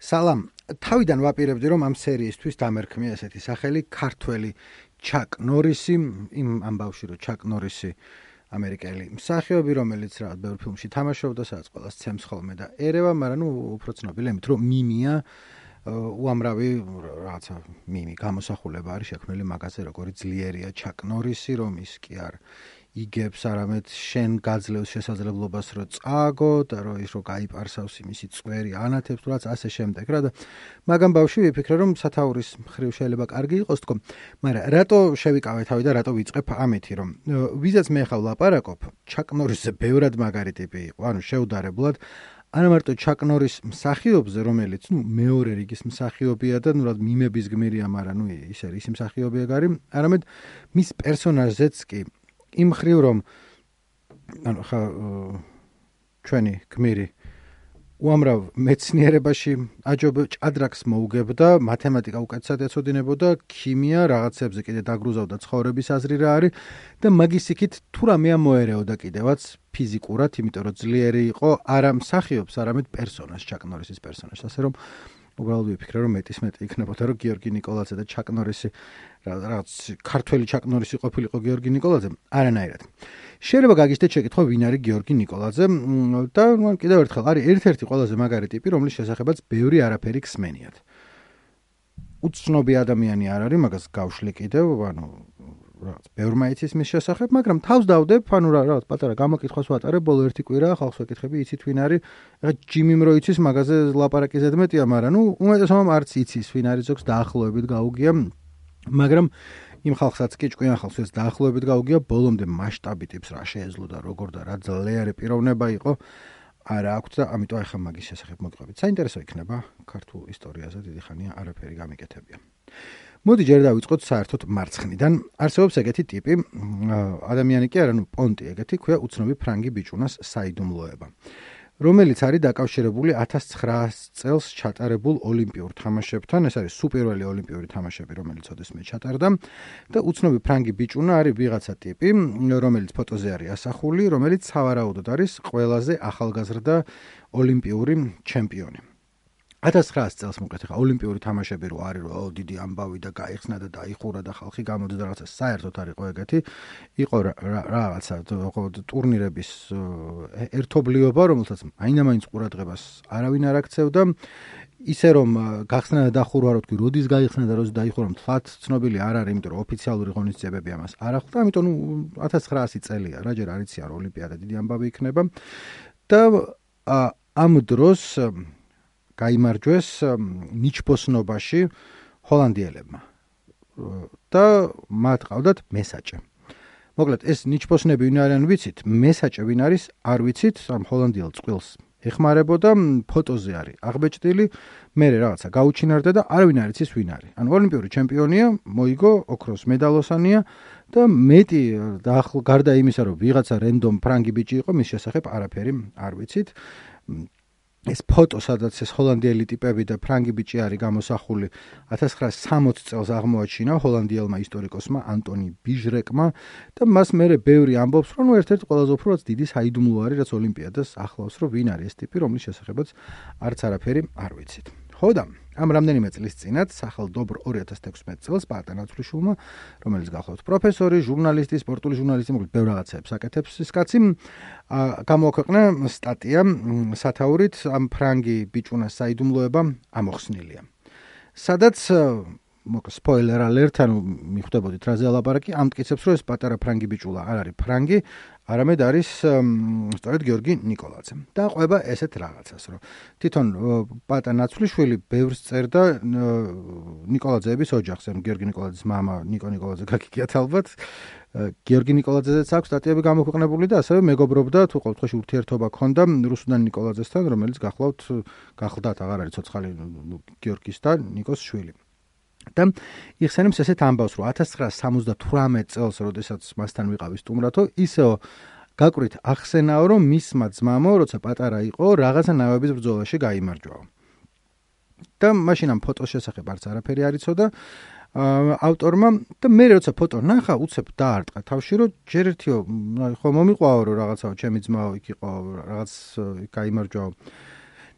სალამ, თავიდან ვაპირებდი, რომ ამ სერიისთვის დამერქმია ესეთი სახელი ქართველი ჩაკ ნორისი, ამ ბავშვი რო ჩაკ ნორისი ამერიკელი მსახიობი, რომელიც რაღაც ბევრ ფილმში თამაშობდა, სადაც ყველას ცემს ხოლმე და ერევა, მაგრამ უფრო ცნობილი იმით, რომ მიმია უამრავი რაღაცა მიმი გამოსახულება არის შექმნილი მაგაზე, როგორი ძლიერია ჩაკ ნორისი, რომ ის კი არ იგებს არამედ შენ გაძლევს შესაძლებლობას რომ წააგო და რომ ის რო გაიპარსავს იმისი წვერი ანათებს თუ რაც ასე შემდეგ რა და მაგამ ბავშვი ვიფიქრე რომ სათაურის მხრივ შეიძლება კარგი იყოს თქო მაგრამ რატო შევიკავე თავი და რატო ვიწყებ ამეთი რომ ვიზაც მე ხავ ლაპარაკობ ჩაკ ნორისზე ბევრად მაგარი ტიპი იყო ანუ შეუდარებლად არა მარტო ჩაკ ნორის მსახიობზე რომელიც მეორე რიგის მსახიობია და რა მიმების გმირია მაგრამ ის მსახიობია გარი არამედ მის პერსონაჟზეც კი იმ ხრივ რომ ანუ ხა ჩვენი გმირი უამრავ მეცნიერებაში აჯობ ჭადრაკს მოუგებდა მათემატიკა უკეთესად ეცოდინებოდა ქიმია რაღაცებზე კიდე დაგრუზავდა ცხოვრების აზრი რა არის და მაგის იქით თუ რამე მოერეოდა კიდევაც ფიზიკურად იმიტომ რომ ძლიერი იყო არა მსახიობს არამედ პერსონაჟს ჩაკ ნორისის პერსონაჟს ასე რომ უბრალოდ ვიფიქრე რომ მეტი იქნებოდა რომ გიორგი ნიკოლაძე და ჩაკ ნორისი რაღაც ქართველი ჩაკ ნორისი ყოფილიყო გიორგი ნიკოლაძე არანაირად შეიძლება გაგიჩნდეთ შეკითხვა ვინ არის გიორგი ნიკოლაძე და მან კიდევ ერთხელ არის ერთ-ერთი ყველაზე მაგარი ტიპი რომლის შესახებაც ბევრი არაფერი ხსმენიათ უცნობი ადამიანი არ არის მაგას გავშლი კიდევ ანუ რაღაც ბევრმა იცის მის შესახებ მაგრამ თავს დავდებ ანუ რაღაც პატარა გამოკითხვას ვატარებ ბოლო ერთი კვირა ხალხს ვეკითხები იცით ვინ არის ეხლა ჯიმიმ რო იცის მაგაზე ლაპარაკი ზედმეტია მაგრამ უმეტესობამ არც იცის ვინ არის ზოგს დაახლოებით გაუგია მაგრამ იმ ხალხსაც კი ჭკვიან ხალხს დაახლოებით გაუგია ბოლომდე მასშტაბი ტიპს რა შეეძლო და როგორ და რა ძლიერი პიროვნება იყო არა აქვს და ამიტომ ახლა მაგის შესახებ მოგყვებით საინტერესო იქნება ქართულ ისტორიაზე დიდი ხანია არაფერი გამიკეთებია მოდი ჯერ დავიწყოთ საერთოდ მარცხნიდან არსებობს ეგეთი ტიპი ადამიანი კი არა პონტი ეგეთი ქვია უცნობი ფრანგი ბიჭუნას საიდუმლოება რომელიც არის დაკავშირებული 1900 წელს ჩატარებულ ოლიმპიურ თამაშებთან ეს არის სუპერველი ოლიმპიური თამაშები რომელიც ოდესმე ჩატარდა და უცნობი ფრანგი ბიჭუნა არის ვიღაცა ტიპი რომელიც ფოტოზე არის ასახული რომელიც სავარაუდოდ არის ყველაზე ახალგაზრდა ოლიმპიური ჩემპიონი 1900 წელს მოკლედ ხა ოლიმპიური თამაშები რო არის რომ დიდი ამბავი და გაიხსნა და დაიხურა და ხალხი გამოდის და რაღაცა საერთოდ არ იყო ეგეთი იყო რაღაცა ტურნირების ერთობლიობა რომელსაც აინამაინც ყურადღებას არავინ არ აქცევდა ისე რომ გახსნა და დახურვა რო თქვი როდის გაიხსნა და როდის დაიხურა მთლად ცნობილი არ არის იმიტომ რომ ოფიციალური ღონისძიებები ამას არ ახლდა ამიტომ 1900 წელია რა ჯერ არ იციან რომ ოლიმპიადა დიდი ამბავი იქნება და ამ დროს გაიმარჯვეს ნიჩბოსნობაში ჰოლანდიელებმა და მათ ყავდათ მესაჭე. მოკლედ ეს ნიჩბოსნები ვინ არიან ვიცით? მესაჭე ვინ არის? არ ვიცით, ამ ჰოლანდიელ წყვილს ეხმარებოდა, ფოტოზე არის აღბეჭდილი, მერე რაღაცა გაუჩინარდა და არავინ არ იცის ვინ არის. ანუ ოლიმპიური ჩემპიონია, მოიგო ოქროს მედალოსანია და მეტი გარდა იმისა, რომ ვიღაცა რენდომ ფრანგი ბიჭი იყო, მის შესახებ არაფერი არ ვიცით. ეს ფოტო, სადაც ეს ჰოლანდიელი ტიპები და ფრანგი ბიჭი არის გამოსახული 1960 წელს აღმოაჩინა ჰოლანდიელმა ისტორიკოსმა ანტონი ბიჟრეკმა და მას მერე ბევრი ამბობს, რომ ერთ-ერთი ყველაზე უფრო დიდი საიდუმლო არის, რაც ოლიმპიადას ახლავს, რომ ვინ არის ეს ტიპი, რომლის შესახებაც არც არაფერი არ ვიცით. ხო და ამ რამდენიმე წლის წინათ სახელმდობლო 2016 წელს პატა ნაცვლიშვილმა, რომელიც გახლავთ პროფესორი, ჟურნალისტი, სპორტული ჟურნალისტი, მოკლედ ბევრ რაღაცებს აკეთებს ის კაცი, გამოაქვეყნა სტატია სათაურით ამ ფრანგი ბიჭუნას საიდუმლოება ამოხსნილია. სადაც სპოილერ ალერტ, ანუ მიხვდებოდით რაზე ლაპარაკი, ამტკიცებს, რომ ეს პატარა ფრანგი ბიჭულა არ არის ფრანგი, არამედ არის სწორედ გიორგი ნიკოლაძე. და ყვება ესეთ რაღაცას, რომ თვითონ პატა ნაცვლიშვილი ბევრს წერდა ნიკოლაძეების ოჯახს, ანუ გიორგი ნიკოლაძის მამა ნიკო ნიკოლაძე გაგიგიათ ალბათ. გიორგი ნიკოლაძეზეც აქვს სტატიები გამოქვეყნებული და ასევე მეგობრობდა თუ ყოველთვის ურთიერთობა ჰქონდა რუსუდან ნიკოლაძესთან, რომელიც გახლდათ აღარ არის ცოცხალი გიორგის და ნიკოს შვილი. და იხსენებს ესეთ ამბავს, რომ 1978 წელს, როდესაც მასთან ვიყავი სტუმრათო, ისეო გაკვირით ახსენაო, რომ მისმა ძმამო, როცა პატარა იყო, რაღაცა ნავების ბრძოლაში გაიმარჯვაო. და მაშინ ამ ფოტოს შესახებ არც არაფერი არ იცოდა ავტორმა და მე როცა ფოტო ნახა, უცებ დაარტყა თავში, რომ ჯერ ერთიო, ხო მომიყვაო, რომ რაღაცაო, ჩემი ძმაო იქ იყო, რაღაც გაიმარჯვაო.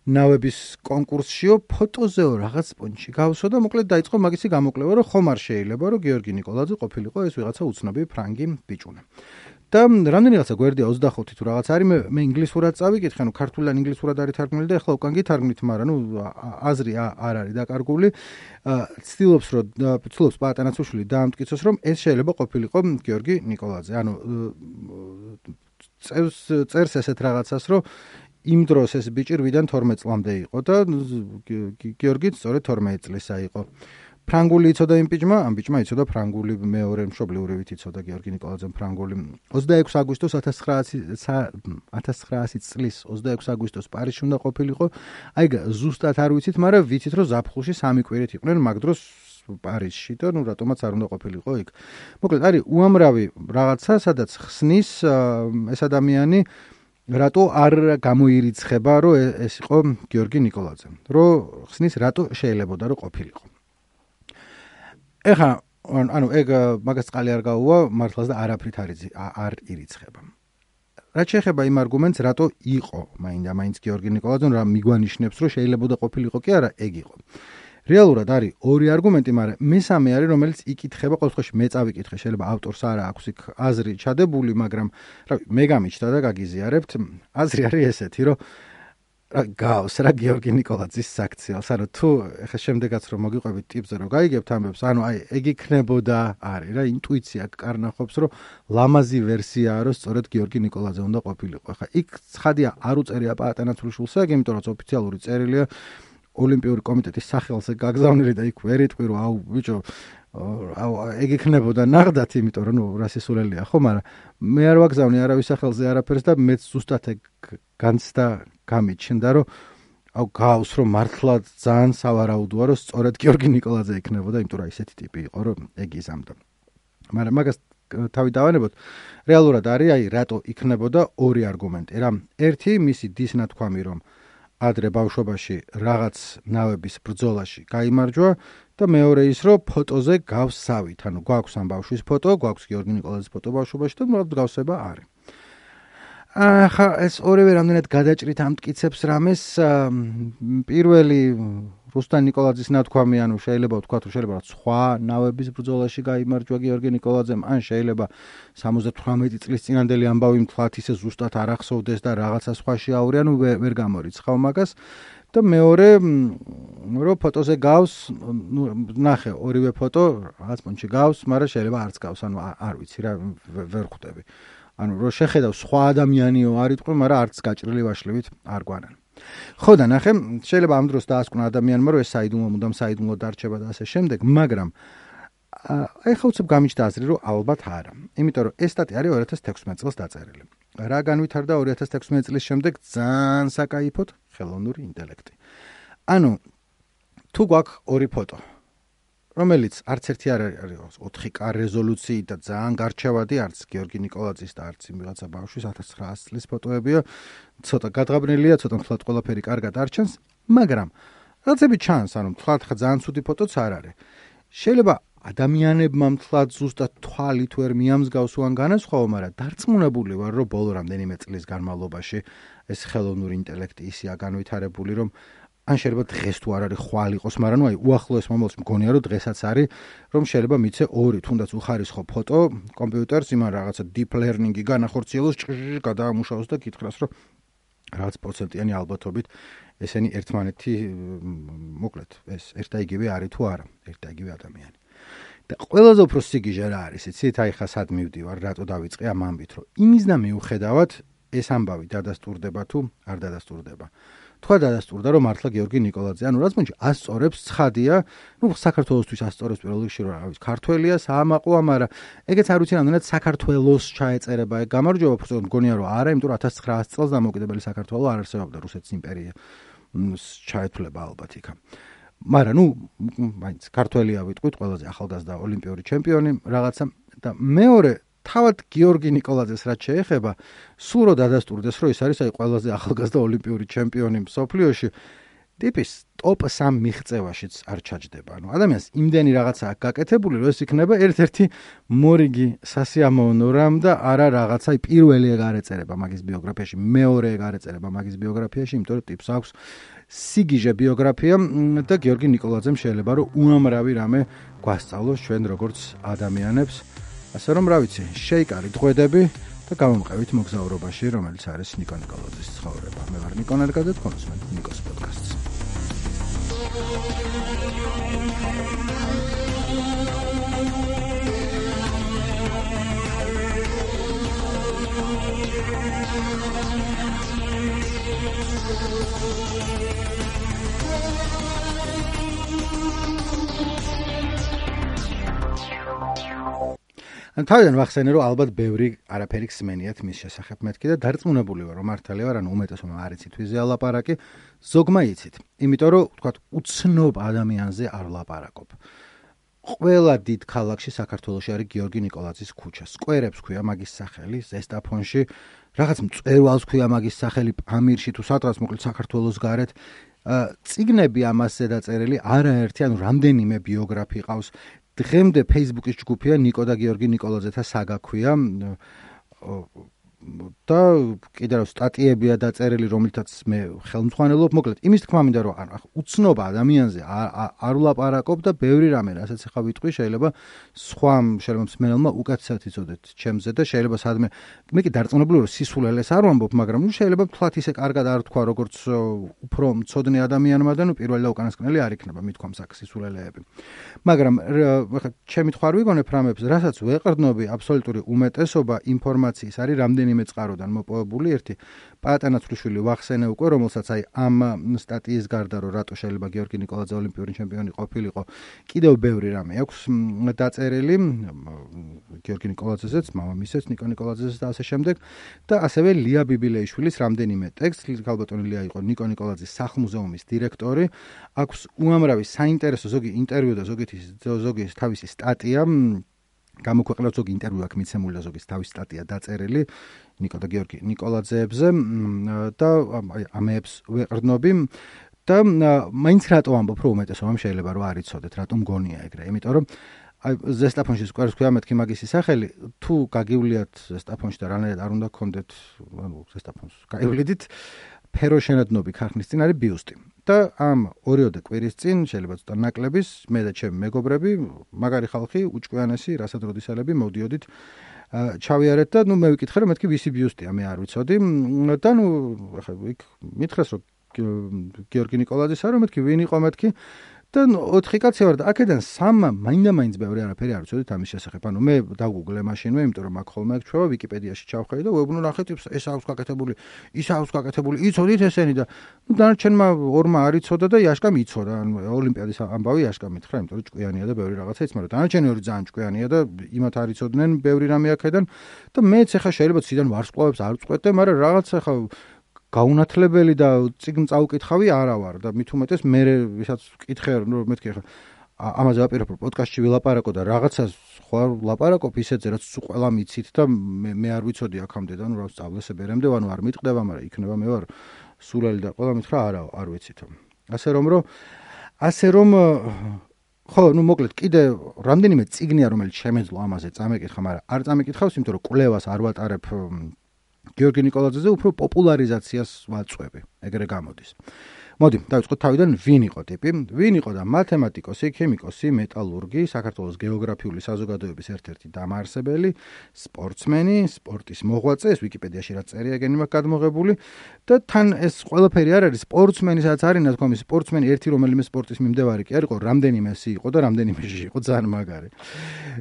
ნავების კონკურსშიო ფოტოზეო რაღაც პონჩი გავსო და მოკლედ დაიწყო მაგისი გამოკვლევა, რომ ხომ არ შეიძლება, რომ გიორგი ნიკოლაძე ყოფილიყო ეს ვიღაცა უცნობი ფრანგი ბიჭუნა. და რამდენი რაღაცა გვერდია 25 თუ რაღაც არის, მე ინგლისურად წავიკითხე, ქართულიდან ინგლისურად არის თარგმნილი და ახლა უკან გითარგმნით, მაგრამ აზრი არ არის დაკარგული. ცდილობს პაატანაცუშვილი დაამტკიცოს, რომ ეს შეიძლება ყოფილიყო გიორგი ნიკოლაძე. წერს ესეთ რაღაცას, რომ იმ დროს ეს ბიჭი 8-დან 12 წლამდე იყო და გიორგიც სწორედ 12 წლისა იყო. ფრანგული იცოდა იმ ბიჭმა, ამ ბიჭმა იცოდა ფრანგული, მეორე მშობლიურივით იცოდა გიორგი ნიკოლაძემ ფრანგული. 26 აგვისტოს 1900 წლის 26 აგვისტოს პარიზში უნდა ყოფილიყო. აი ზუსტად არ ვიცით, მაგრამ ვიცით, რომ ზაფხულში 3 კვირით იყვნენ მაგ დროს პარიზში და რატომაც არ უნდა ყოფილიყო იქ. მოკლედ არის უამრავი რაღაცა, სადაც ხსნის ეს ადამიანი რატო არ გამოირიცხება, რომ ეს იყო გიორგი ნიკოლაძე. რომ ხსნის რატო შეიძლებოდა რომ ყოფილიყო. ეხლა ეგ მაგას წყალი არ გაუვა მართლაც და არაფრით არ ირიცხება. რაც შეეხება იმ არგუმენტს, რატო იყო მაინც გიორგი ნიკოლაძე, რა მიგვანიშნებს, რომ შეიძლებოდა ყოფილიყო კი არა, ეგ იყო. რეალურად არის ორი არგუმენტი, მაგრამ მესამე არის, რომელიც იკითხება, ყოველ შემთხვევაში მე წავიკითხე, შეიძლება ავტორს არა აქვს იქ აზრი ჩადებული, მაგრამ მე გამიჩნდა და გაგიზიარებთ, აზრი არის ესეთი, რომ გავს რა გიორგი ნიკოლაძის საქციელს, ანუ თუ ეხა შემდეგაც რომ მოგიყვებით ტიპზე რომ გაიგებთ ამბებს, ანუ აი ეგ იქნებოდა არის რა ინტუიცია კარნახობს, რომ ლამაზი ვერსიაა, რომ სწორედ გიორგი ნიკოლაძე უნდა ყოფილიყო. ეხა იქ ცხადია არ უწერია პაატანაცვლიშვილს, იმიტომ რომ ოფიციალური წერილია ოლიმპიური კომიტეტის სახელზე გაგზავნილი და იქ ვერ იტყვი რომ აუ ბიჭო ეგ იქნებოდა ნახდათ, იმიტომ რომ რა სისულელია ხო, მაგრამ მე არ ვაგზავნი არავის სახელზე არაფერს და მეც ზუსტად ეგ განცდა გამიჩნდა, რომ აუ გავს რომ მართლა ძალიან სავარაუდოა, რომ სწორედ გიორგი ნიკოლაძე იქნებოდა, იმიტომ რომ ისეთი ტიპი იყო, რომ ეგ იზამდა. მაგრამ მაგას თავი დავანებოთ, რეალურად არის აი რატო იქნებოდა ორი არგუმენტი რა. ერთი მისი დის ნათქვამი, რომ ადრე ბავშვობაში რაღაც ნავების ბრძოლაში გაიმარჯვა და მეორე ის, რომ ფოტოზე გავს სავით, ანუ გვაქვს ამ ბავშვის ფოტო, გვაქვს გიორგი ნიკოლაძის ფოტო ბავშვობაში და უბრალოდ გავსება არის. ახლა ეს ორივე რამდენად გადაჭრით ამტკიცებს რამეს. პირველი რუსტან ნიკოლაძის ნათქვამი, ანუ შეიძლება ვთქვათ, რომ შეიძლება სხვა ნავების ბრძოლაში გაიმარჯვა გიორგი ნიკოლაძემ, ან შეიძლება 78 წლის წინანდელი ამბავი მთლად ისე ზუსტად არ ახსოვდეს და რაღაცა სხვაში აური, ანუ ვერ გამორიცხავ მაგას. და მეორე, რომ ფოტოზე გავს, ნახე ორივე ფოტო რაღაც პონჩი გავს, მაგრამ შეიძლება არც გავს, ანუ არ ვიცი რა, ვერ ხვდები. ანუ რო შეხედავ სხვა ადამიანიო არ იტყვი, მაგრამ არც გაჭრილი ვაშლივით არ გვანან. ხო და ნახე, შეიძლება ამ დროს დაასკვნა ადამიანმა, რომ ეს საიდუმლო მუდამ საიდუმლო დარჩება და ასე შემდეგ, მაგრამ ახლა უცებ გამიჩნდა აზრი, რომ ალბათ არა. იმიტომ რომ ეს სტატია არის 2016 წელს დაწერილი. რა განვითარდა 2016 წლის შემდეგ ძალიან საკაიფოდ ხელოვნური ინტელექტი. ანუ თუ გვაქვს ორი ფოტო, რომელიც არც ერთი არ არის 4K რეზოლუციით და ძალიან გარჩევადი, არც გიორგი ნიკოლაძის და არც იმ ვიღაცა ბავშვის 1900 წლის ფოტოებია, ცოტა გადღაბნელია, ცოტა მთლად ყველაფერი კარგად არ ჩანს, მაგრამ რაღაცები ჩანს, ანუ მთლად ძალიან ცუდი ფოტოც არ არის. შეიძლება ადამიანებმა მთლად ზუსტად თვალით ვერ მიამსგავს უან განასხვაო, მაგრამ დარწმუნებული ვარ, რომ ბოლო რამდენიმე წლის განმავლობაში ეს ხელოვნური ინტელექტი ისეა განვითარებული, რომ ან შეიძლება დღეს თუ არ არის ხვალ იყოს, მაგრამ ნუ აი უახლოეს მომავალში მგონია, რომ დღესაც არის, რომ შეიძლება მიცე ორი თუნდაც უხარისხო ფოტო კომპიუტერს იმან რაღაცა deep learning-ი განახორციელოს, გადაამუშავოს და გითხრას, რომ რაღაც პროცენტიანი ალბათობით ესენი ერთმანეთი მოკლედ ეს ერთ და იგივე არის თუ არა, ერთ და იგივე ადამიანი. და ყველაზე უფრო სიგიჟე რა არის, იცით, აი ხა სად მივდივარ, რატო დავიწყე ამ ამბით, რომ იმის და მიუხედავად ეს ამბავი დადასტურდება თუ არ დადასტურდება. თქვა დადასტურდა, რომ მართლა გიორგი ნიკოლაძე, ანუ რაც მომჩი ასწორებს, ცხადია, ნუ საქართველოსთვის ასწორებს პირველ რიგში, რომ რა ვიცი, ქართველია, საამაყოა, მაგრამ ეგეც არ ვიცი რამდენად საქართველოს ჩაეწერება ეგ გამარჯვება, უბრალოდ მგონია, რომ არა, იმიტომ რომ 1900 წელს დამოუკიდებელი საქართველო არ არსებობდა, რუსეთის იმპერია ჩაეთვლება ალბათ იქა. მაგრამ ნუ მაინც ქართველია ვიტყვით, ყველაზე ახალგაზრდა ოლიმპიური ჩემპიონი რაღაცა და მეორე თავად გიორგი ნიკოლაძეს რაც შეეხება, სულ რო დადასტურდეს, რომ ის არის აი ყველაზე ახალგაზრდა ოლიმპიური ჩემპიონი მსოფლიოში, ტიპის ტოპ 3 მიღწევაშიც არ ჩაჯდება. ანუ ადამიანს იმდენი რაღაცა აქვს გაკეთებული, რომ ეს იქნება ერთ-ერთი მორიგი სასიამოვნო რამ და არა რაღაცა პირველი ეგ არ ეწერება მაგის ბიოგრაფიაში, მეორე ეგ არ ეწერება მაგის ბიოგრაფიაში, იმიტომ რომ ტიპს აქვს სიგიჟე ბიოგრაფია და გიორგი ნიკოლაძემ შეიძლება რომ უამრავი რამე გვასწავლოს ჩვენ როგორც ადამიანებს. ასე რომ რა ვიცი, შეიკარით ღვედები და გამომყევით მოგზაურობაში, რომელიც არის ნიკო ნიკოლაძის ცხოვრება. მე ვარ ნიკო ნერგაძე, თქვენ უსმენთ ნიკოს პოდკასტს. ან თავიდან ვახსენე, რომ ალბათ ბევრი არაფერი ხსმენიათ მის შესახებ მეთქი და დარწმუნებული ვარ, რომ მართალია ვარ, ანუ უმეტესობა არ იცით ვიზეა ლაპარაკი, ზოგმა იცით. იმიტომ რომ თქვათ უცნობ ადამიანზე არ ლაპარაკობ. ყველა დიდ ქალაქში საქართველოში არის გიორგი ნიკოლაძის ქუჩა. სკვერებს ქვია მაგის სახელი, ზესტაფონში, რაღაც მწვერვალს ქვია მაგის სახელი, პამირში თუ სადღაც მოკლედ საქართველოს გარეთ. წიგნები ამასზე დაწერილი არაერთი, ანუ რამდენიმე ბიოგრაფი ყავს. დღემდე Facebook-ის ჯგუფია ნიკო და გიორგი ნიკოლაძეთა საგა ქვია და კიდევ სტატიებია დაწერილი, რომელთაც მე ხელმძღვანელობ. მოკლედ, იმის თქმა მინდა, რომ უცნობ ადამიანზე არ ვლაპარაკობ და ბევრი რამე, რასაც ახლა ვიტყვი, შეიძლება სხვამ მსმენელმა უკეთესად იცოდეთ ჩემზე და შეიძლება სადმე მე კი დარწმუნებული ვარ, სისულელეს არ ვამბობ, მაგრამ შეიძლება თქვათ ისე კარგად არ თქვა, როგორც უფრო მცოდნე ადამიანმა და პირველი და უკანასკნელი არ იქნება მithქვამს აქ სისულელეები. მაგრამ ახლა ჩემი თქვა არ ვიგონებ რამებს, რასაც ვეყრდნობი, აბსოლუტური უმეტესობა ინფორმაციის არის რამდენიმე წყაროდან მოპოვებული. ერთი პატანა ცრუშვილი ვახსენე უკვე, რომელსაც აი ამ სტატიის გარდა, რომ რატო შეიძლება გიორგი ნიკოლაძე ოლიმპიური ჩემპიონი ყოფილიყო, კიდევ ბევრი რამე აქვს დაწერილი გიორგი ნიკოლაძეზეც, მამამისეც ნიკო ნიკოლაძეზეც და ასე შემდეგ. და ასევე ლია ბიბილეიშვილის რამდენიმე ტექსტი. ქალბატონი ლია იყო ნიკო ნიკოლაძის სახლ-მუზეუმის დირექტორი. აქვს უამრავი საინტერესო ზოგი ინტერვიუ და ზოგი თავისი სტატია. გამოქვეყნდა ზოგი ინტერვიუ აქვს მიცემული და ზოგი თავისი სტატია დაწერილი ნიკო და გიორგი ნიკოლაძეებზე და ამებს ვეყრდნობი და მაინც რატო ამბობ, რომ უმეტესობამ შეიძლება რომ არ იცოდეთ, რატომ გონია ეგრე. იმიტომ რომ აი ზესტაფონში სკვერს ქვია მეთქი მაგისი სახელი, თუ გაგივლიათ ზესტაფონში და რანაირად არ უნდა გქონდეთ, ანუ ზესტაფონს გაივლიდით, ფეროშენადნობი ქარხნის წინ არის ბიუსტი. და ამ 2-3 კვირის წინ შეიძლება ცოტა ნაკლების მე და ჩემი მეგობრები, მაგარი ხალხი, უჭკვიანესი რასადროდისელები მოვდიოდით ჩავიარეთ და მე ვიკითხე რომ მეთქი ვისი ბიუსტია, მე არ ვიცოდი და ახლა იქ მითხრეს რომ გიორგი ნიკოლაძისა, რომ მეთქი ვინ იყო მეთქი და 4 კაცი ვარ და აქედან 3 მაინდა-მაინც ბევრი არაფერი არ ვიცოდით ამის შესახებ. ანუ მე დავგუგლე მაშინვე, იმიტომ რომ აქ ხოლმე აქ ჩვევა ვიკიპედიაში ჩავხედე და ვეუბნო ნახეთ ეს აქვს გაკეთებული, ის აქვს გაკეთებული, იცოდით ესენი და დანარჩენმა 2-მა არ იცოდა და იაშკამ იცოდა. ანუ ოლიმპიადის ამბავი იაშკამ მითხრა, იმიტომ რომ ჭკვიანია და ბევრი რაღაცა იცი, მაგრამ დანარჩენი 2 ძალიან ჭკვიანია და იმათ არ იცოდნენ ბევრი რამე აქედან და მეც ახლა შეიძლება ციდან ვარსკვლავებს არ ვწყვეტე, მაგრამ რაღაცა ახლა გაუნათლებელი და წიგნ წაუკითხავი არა ვარ და მით უმეტეს მე ვისაც ვკითხე რომ მეთქი ახლა ამაზე ვაპირებ პოდკასტში ვილაპარაკო და რაღაცას ხო არ ვლაპარაკობ ისეთზე რაც ყველა მიცით და მე არ ვიცოდი აქამდე და რა სწავლეს ბერემდე ანუ არ მიტყდება, მაგრამ იქნება მე ვარ სულელი და ყველა მითხრა არა არ ვიცით. ასე რომ ხო, მოკლედ კიდე რამდენიმე წიგნია რომელიც შემეძლო ამაზე წამეკითხა, მაგრამ არ წამეკითხავს, იმიტომ რომ კვლევას არ ვატარებ გიორგი ნიკოლაძეზე, უფრო პოპულარიზაციას ვაწვევი, ეგრე გამოდის. მოდი, დავიწყოთ თავიდან, ვინ იყო ტიპი? ვინ იყო და მათემატიკოსი, ქიმიკოსი, მეტალურგი, საქართველოს გეოგრაფიული საზოგადოების ერთ-ერთი დამაარსებელი, სპორტსმენი, სპორტის მოღვაწე, ეს ვიკიპედიაში რაც წერია ეგენი მაქვს გადმოღებული და თან ეს ყველაფერი არ არის სპორტსმენისაც არის ნათქვამი სპორტსმენი, ერთი რომელიმე სპორტის მიმდევარი კი არ იყო, რამდენიმე ესი იყო და რამდენიმე ჟი იყო, ძალიან მაგარი.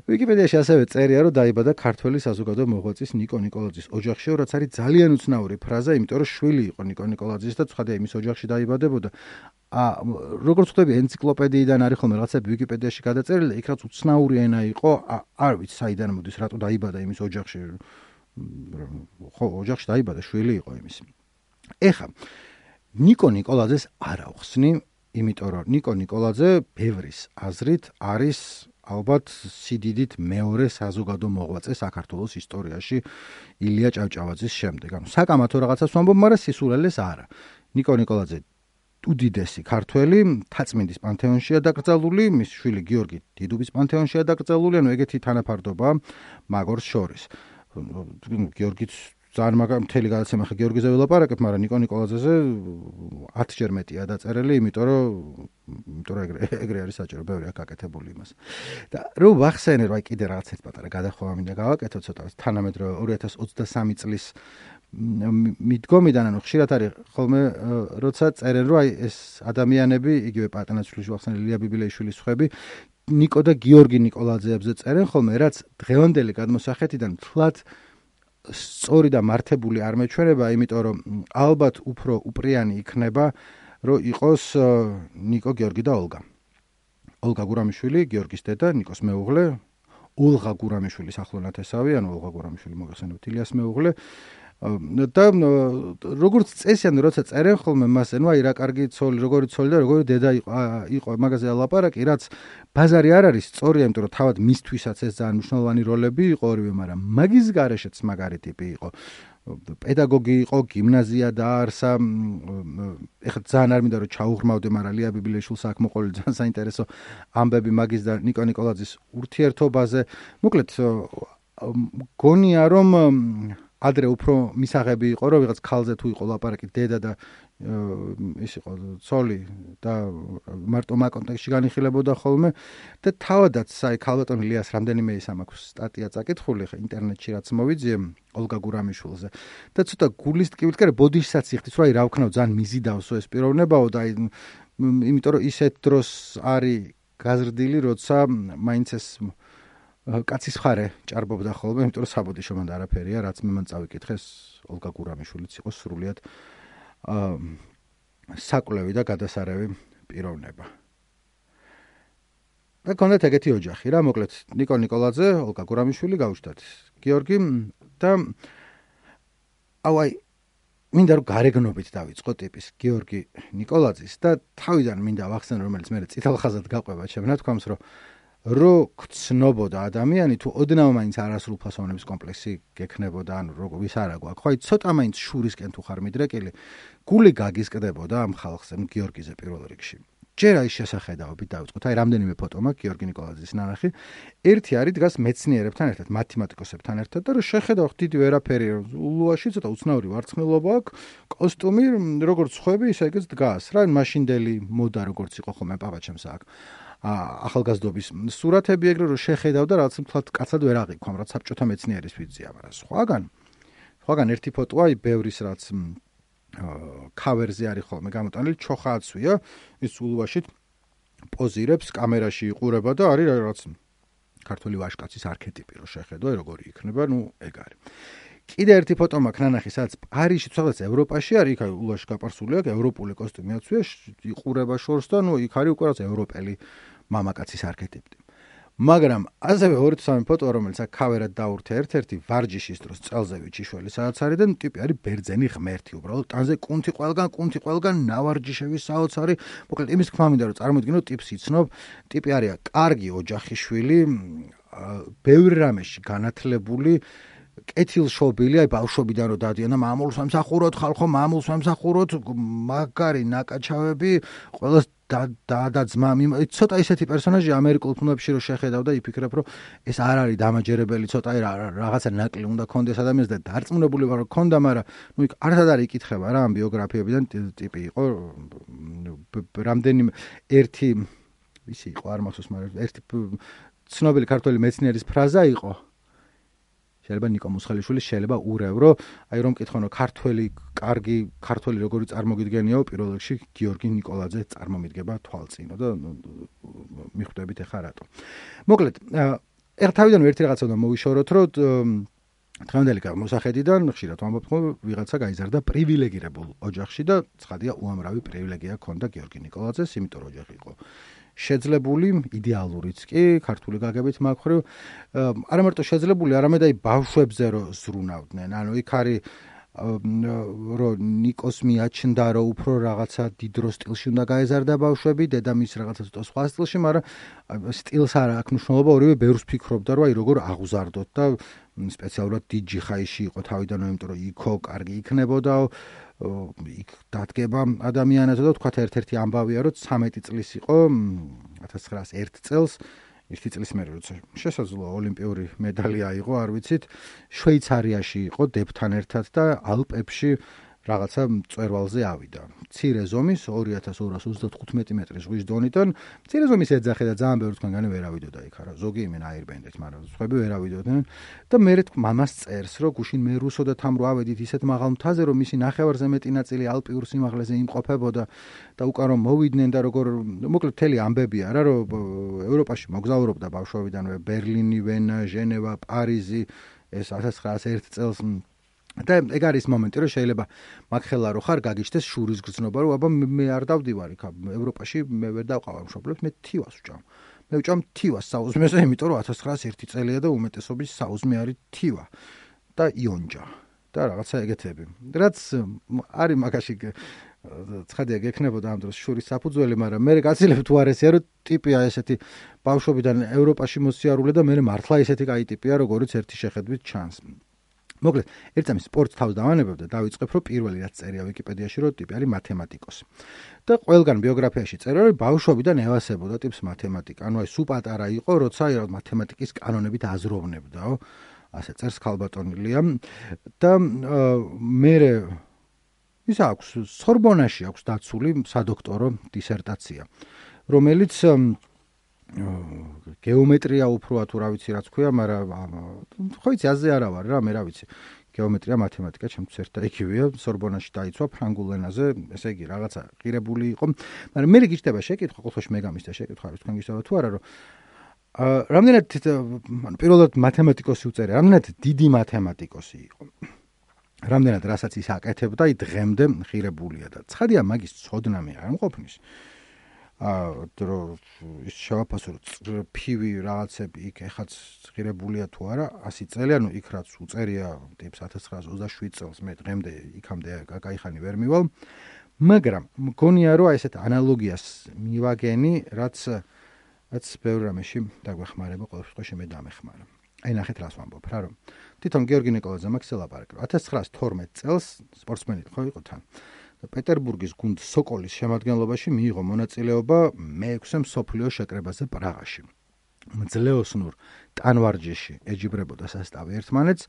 ვიკიპედიაში ასევე წერია, რომ დაიბადა ქართველი საზოგადო მოღვაწის ნიკო ნიკოლაძის ოჯახში, რაც არის ძალიან უცნაური ფრაზა, იმიტომ რომ შვილი იყო ნიკო ნიკოლაძის და ცხადია იმის ოჯახში დაიბადა. როგორც ხვდები ენციკლოპედიიდან არის ხოლმე რაღაცები ვიკიპედიაში გადაწერილი და იქ რაც უცნაური ენა იყო, არ ვიცი საიდან მოდის, რატო დაიბადა იმის ოჯახში. ხო, ოჯახში დაიბადა, შვილი იყო იმის. ეხლა ნიკო ნიკოლაძეს არ ავხსნი, იმიტომ რომ ნიკო ნიკოლაძე ბევრის აზრით არის ალბათ სიდიდით მეორე საზოგადო მოღვაწე საქართველოს ისტორიაში ილია ჭავჭავაძის შემდეგ. ანუ საკამათო რაღაცას ვამბობ, მაგრამ სისულელეს არა. ნიკო ნიკოლაძე უდიდესი ქართველი თაწმინდის პანთეონშია დაკრძალული, მის შვილი გიორგი დიდუბის პანთეონშია დაკრძალული, ანუ ეგეთი თანაფარდობა მაგორს შორის. გიორგიც ძალიან მთელი გადაცემა ხა გიორგიზე ვილაპარაკებ, მაგრამ ნიკო ნიკოლაძეზე 10-ჯერ მეტია დაწერილი, იმიტომ რომ ეგრე არის საჭირო, ბევრი აქ აკეთებული იმას. და რო ვახსენე, რომ აი კიდე რაღაც ერთ პატარა გადახვევა მინდა გავაკეთო ცოტა თანამედროვე 2023 წლის მიდგომიდან, ანუ ხშირად არის ხოლმე როცა წერენ, რომ აი ეს ადამიანები, იგივე პატანაშვილის ვახსენე ლია ბიბილეიშვილის ხვები, ნიკო და გიორგი ნიკოლაძეებზე წერენ ხოლმე, რაც დღევანდელი გადმოსახედიდან თლად სწორი და მართებული არ მეჩვენება, იმიტომ რომ ალბათ უფრო უპრიანი იქნება, რომ იყოს ნიკო, გიორგი და ოლგა. ოლგა გურამიშვილი, გიორგის დედა, ნიკოს მეუღლე, ოლღა გურამიშვილის ახლო ნათესავი, ანუ ოლღა გურამიშვილი მოგახსენებთ ილიას მეუღლე. და როგორც წესიან, როცა წერენ ხოლმე მასე, ნუ აი რა კარგი ცოლი, როგორი ცოლი და როგორი დედა იყო მაგაზე ლაპარაკი, რაც ბაზარი არ არის სწორია, იმიტომ რომ თავად მისთვისაც ეს ძალიან მნიშვნელოვანი როლები იყო ორივე, მაგრამ მაგის გარეშეც მაგარი ტიპი იყო. პედაგოგი იყო, გიმნაზია დაარსა, ეხლა ძალიან არ მინდა რომ ჩაუღრმავდე, მაგრამ ლია ბიბილეიშვილს აქ მოყოლი ძალიან საინტერესო ამბები მაგის და ნიკო ნიკოლაძის ურთიერთობაზე. მოკლედ გონია რომ ადრე უფრო მისაღები იყო, რომ ვიღაც ქალზე თუ იყო ლაპარაკი, დედა და ის იყო ცოლი და მარტო მაგ კონტექსტში განიხილებოდა ხოლმე და თავადაც აი ქალბატონ ილიას რამდენიმე ის ამ აქვს სტატია წაკითხული ხა ინტერნეტში რაც მოვიძიე ოლგა გურამიშვილზე და ცოტა გულის ტკივით კერე ბოდიშსაც იხდის, რომ აი რა ვქნაო ძალიან მიზიდავსო ეს პიროვნებაო და აი იმიტომ რომ ისეთ დროს არის გაზრდილი, როცა მაინც ეს კაცის მხარე ჭარბობდა ხოლმე, იმიტომ რომ საბოდიშო მანდ არაფერია, რაც მე მან წავიკითხეს, ოლგა გურამიშვილიც იყო სრულიად საკვლევი და გადასარევი პიროვნება. და კონდეთ ეგეთი ოჯახი რა, მოკლედ ნიკო ნიკოლაძე, ოლგა გურამიშვილი გაუჩნდათ გიორგი და აი მინდა რომ გარეგნობით დავიწყო ტიპის გიორგი ნიკოლაძის და თავიდან მინდა ვახსენო, რომელიც მე წითელ ხაზად გაყვება ჩემ ნათქვამს, რო გცნობოდა ადამიანი თუ ოდნავ მაინც არასრულფასოვნების კომპლექსი გექნებოდა, ანუ როგორ ვის არა გვაქვს, ხო აი ცოტა მაინც შურისკენ თუ ხარ მიდრეკილი, გული გაგისკდებოდა ამ ხალხზე, გიორგიზე პირველ რიგში. ჯერ აი შესახედაობით დავიწყოთ, აი რამდენიმე ფოტო მაქვს გიორგი ნიკოლაძის ნანახი. ერთი არის დგას მეცნიერებთან ერთად, მათემატიკოსებთან ერთად და რო შეხედავ დიდი ვერაფერი, ულუაში ცოტა უცნაური ვარცხნილობა აქვს, კოსტუმი როგორც ხვები, ისე ეგეც დგას რა, მაშინდელი მოდა როგორც იყო ხოლმე პაპაჩემს აქ. ახალგაზრდობის სურათები ეგრე რომ შეხედავ და რაღაც მთლად კაცად ვერ აღიქვამ, რაც საბჭოთა მეცნიერის ვიზია, მაგრამ სხვაგან ერთი ფოტოა, ბევრის რაც ქავერზე არის ხოლმე გამოტანილი, ჩოხააცვია, ის ულუაშით პოზირებს, კამერაში იყურება და არის რაღაც ქართველი ვაჟკაცის არქეტიპი რო შეხედო, როგორი იქნება, ნუ ეგ არის. კიდე ერთი ფოტო მაქვს ნანახი, სადაც პარიზში სადაც ევროპაში არის, იქ ულუაში გაპარსული აქვს, ევროპული კოსტუმი აცვია, იყურება შორს და ნუ იქ არის უკვე რაღაც ევროპელი მამაკაცის არქეტიპი. მაგრამ ასევე 2-3 ფოტო, რომელიც აქ ქავერად დაურთე ერთ-ერთი ვარჯიშის დროს წელზე ვიჩიშველი სადაც არის და ტიპი არის ბერძენი ღმერთი, უბრალოდ ტანზე კუნთი ყველგან ნავარჯიშები საოცარი. მოკლედ იმის თქმა მინდა რომ წარმოიდგინო ტიპს იცნობ, ტიპი არის კარგი ოჯახიშვილი, ბევრ რამეში განათლებული, კეთილშობილი, აი ბავშვობიდან რომ დადიან და მამულს ვემსახუროთ, ხალხო მამულს ვემსახუროთ, მაგარი ნაკაჩავები, ყველას და ძმა, ცოტა ისეთი პერსონაჟი ამერიკულ ფილმებში რო შეხედავ და იფიქრებ, რომ ეს არ არის დამაჯერებელი, ცოტა რაღაცა ნაკლი უნდა კონდეს ადამიანს და დარწმუნებული ვარ, რომ კონდა, მაგრამ ნუ იქ არც არ იკითხება რა ამ ბიოგრაფიებიდან, ტიპი იყო რამდენიმე ერთი ისი იყო არ მახსოვს, მაგრამ ერთი ცნობილი ქართველი მეცნიერის ფრაზა იყო. შეიძლება ნიკო მუსხელიშვილი შეიძლება ურევრო, აი რომ მკითხონ რომ კარგი ქართველი როგორი წარმოგიდგენიაო, პირველ რიგში გიორგი ნიკოლაძე წარმომიდგება თვალწინო და მიხვდებით ახლა რატო. მოკლედ, ეხლა თავიდან ერთი რაღაცა უნდა მოვიშოროთ, რომ დღევანდელი მოსახედიდან ხშირად ვამბობთ, რომ ვიღაცა გაიზარდა პრივილეგირებულ ოჯახში და ცხადია უამრავი პრივილეგია ჰქონდა გიორგი ნიკოლაძეს, იმიტომ რომ ოჯახი იყო შეძლებული, იდეალურიც კი, ქართული გაგებით მაქვს, არა მარტო შეძლებული, არამედ აი ბავშვებზე რო ზრუნავდნენ. ანუ იქ არის რომ ნიკოს მიაჩნდა რომ უფრო რაღაცა დიდ სტილში უნდა გაეზარდა ბავშვები, დედამის რაღაცა ცოტა სხვა სტილში, მაგრამ სტილს არ აქვს მნიშვნელობა, ორივე ბევრს ფიქრობდა რომ აი როგორ აღუზარდოთ და სპეციალურად დიდ ჯიხაიში იყო თავიდანვე, იმიტომ რომ იქო კარგი იქნებოდა, იქ დადგება ადამიანებსა და თქვათ ერთ-ერთი ამბავია რომ 13 წლის იყო 1901 წელს 1 წლის მერე როცა შესაძლოა ოლიმპიური მედალი აიღო, არ ვიცით, შვეიცარიაში იყო დებთან ერთად და ალპებში რაღაცა მწვერვალზე ავიდა. მცირე ზომის 2235 მეტრის ზღვის დონიდან, მცირე ზომის ეძახე და ძალიან ბევრი თქვენგანი ვერ ავიდოდა იქ არა. ზოგი იმენ აირბენდეთ, მაგრამ სხვები ვერ ავიდოდნენ და მე მამას წერს, რომ გუშინ მე რუსოდათ ამ რო ავედით ისეთ მაღალ მთაზე, რომ მისი ნახევარზე მეტი ნაწილი ალპიურ სიმაღლეზე იმყოფებოდა და უკან რომ მოვიდნენ და როგორ მოკლედ მთელი ამბები არა, რომ ევროპაში მოგზაურობდა ბავშვობიდანვე ბერლინი, ვენა, ჟენევა, პარიზი, ეს 1901 წელს და ეგ არის მომენტი, რომ შეიძლება მაგხელა რო ხარ გაგიჩნდეს შურის გრძნობა, რომ აბა მე არ დავდივარ იქ ევროპაში, მე ვერ დავყავარ მშობლებს, მე თივას ვჭამ. მე ვჭამ თივას საუზმეზე, იმიტომ რომ 1901 წელია და უმეტესობის საუზმე არის თივა და იონჯა და რაღაცა ეგეთები. რაც არის მაგაში ცხადია გექნებოდა ამ დროს შურის საფუძველი, მაგრამ მე გაცილებ თუ არ ესეა, რომ ტიპია ესეთი ბავშვობიდან ევროპაში მოსიარულე და მე მართლა ესეთი კაი ტიპია, როგორიც ერთი შეხედვით ჩანს. მოკლედ, ერთ წამის სპორტს თავს დავანებებ და დავიწყებ, რომ პირველი რაც წერია ვიკიპედიაში, რომ ტიპი არის მათემატიკოსი. და ყველგან ბიოგრაფიაში წერია, რომ ბავშვობიდან ევასებოდა ტიპს მათემატიკა. ანუ აი სულ პატარა იყო, როცა მათემატიკის კანონებით აზროვნებდაო. ასე წერს ქალბატონილია და მე ის აქვს სორბონაში აქვს დაცული სადოქტორო დისერტაცია, რომელიც გეომეტრია უფრო თუ რა ვიცი რაც ქვია, მაგრამ ხო იცი აზე არა ვარ რა, მე რა ვიცი. გეომეტრია, მათემატიკა ჩემთვის ერთ და იგივეა, სორბონაში დაიცვა ფრანგულ ენაზე, ესე იგი რაღაცა ღირებული იყო. მაგრამ მე გიჩნდება შეკითხვა, ყოველთვის მე გამისდა შეკითხვა, რომ თქვენ გისაუბრებთ თუ არა, რომ რამდენად პირველად მათემატიკოსი უწერია, რამდენად დიდი მათემატიკოსი იყო. რამდენად რასაც ის აკეთებდა, დღემდე ღირებულია და ცხადია მაგის ცოდნა მე არ მყოფნის. ის შევაფასო ფივი რაღაცები იქ ეხაც ღირებულია თუ არა 100 წელი, ანუ იქ რაც უწერია ტიპს 1927 წელს, მე დღემდე იქამდე კაიხანი ვერ მივალ, მაგრამ მგონია რომ ესეთ ანალოგიას მივაგენი, რაც ბევრ რამეში დაგვეხმარება, ყოველ შემთხვევაში მე დამეხმარა. აი ნახეთ რას ვამბობ რა, რომ თვითონ გიორგი ნიკოლაძე მაგ ელაპარაკა 1912 წელს სპორტსმენი ხო იყო თან და პეტერბურგის გუნდ სოკოლის შემადგენლობაში მიიღო მონაწილეობა მე-6 მსოფლიო შეკრებაზე პრაღაში. მძლეოსნურ ტანვარჯიშში ეჯიბრებოდა სასტავი ერთმანეთს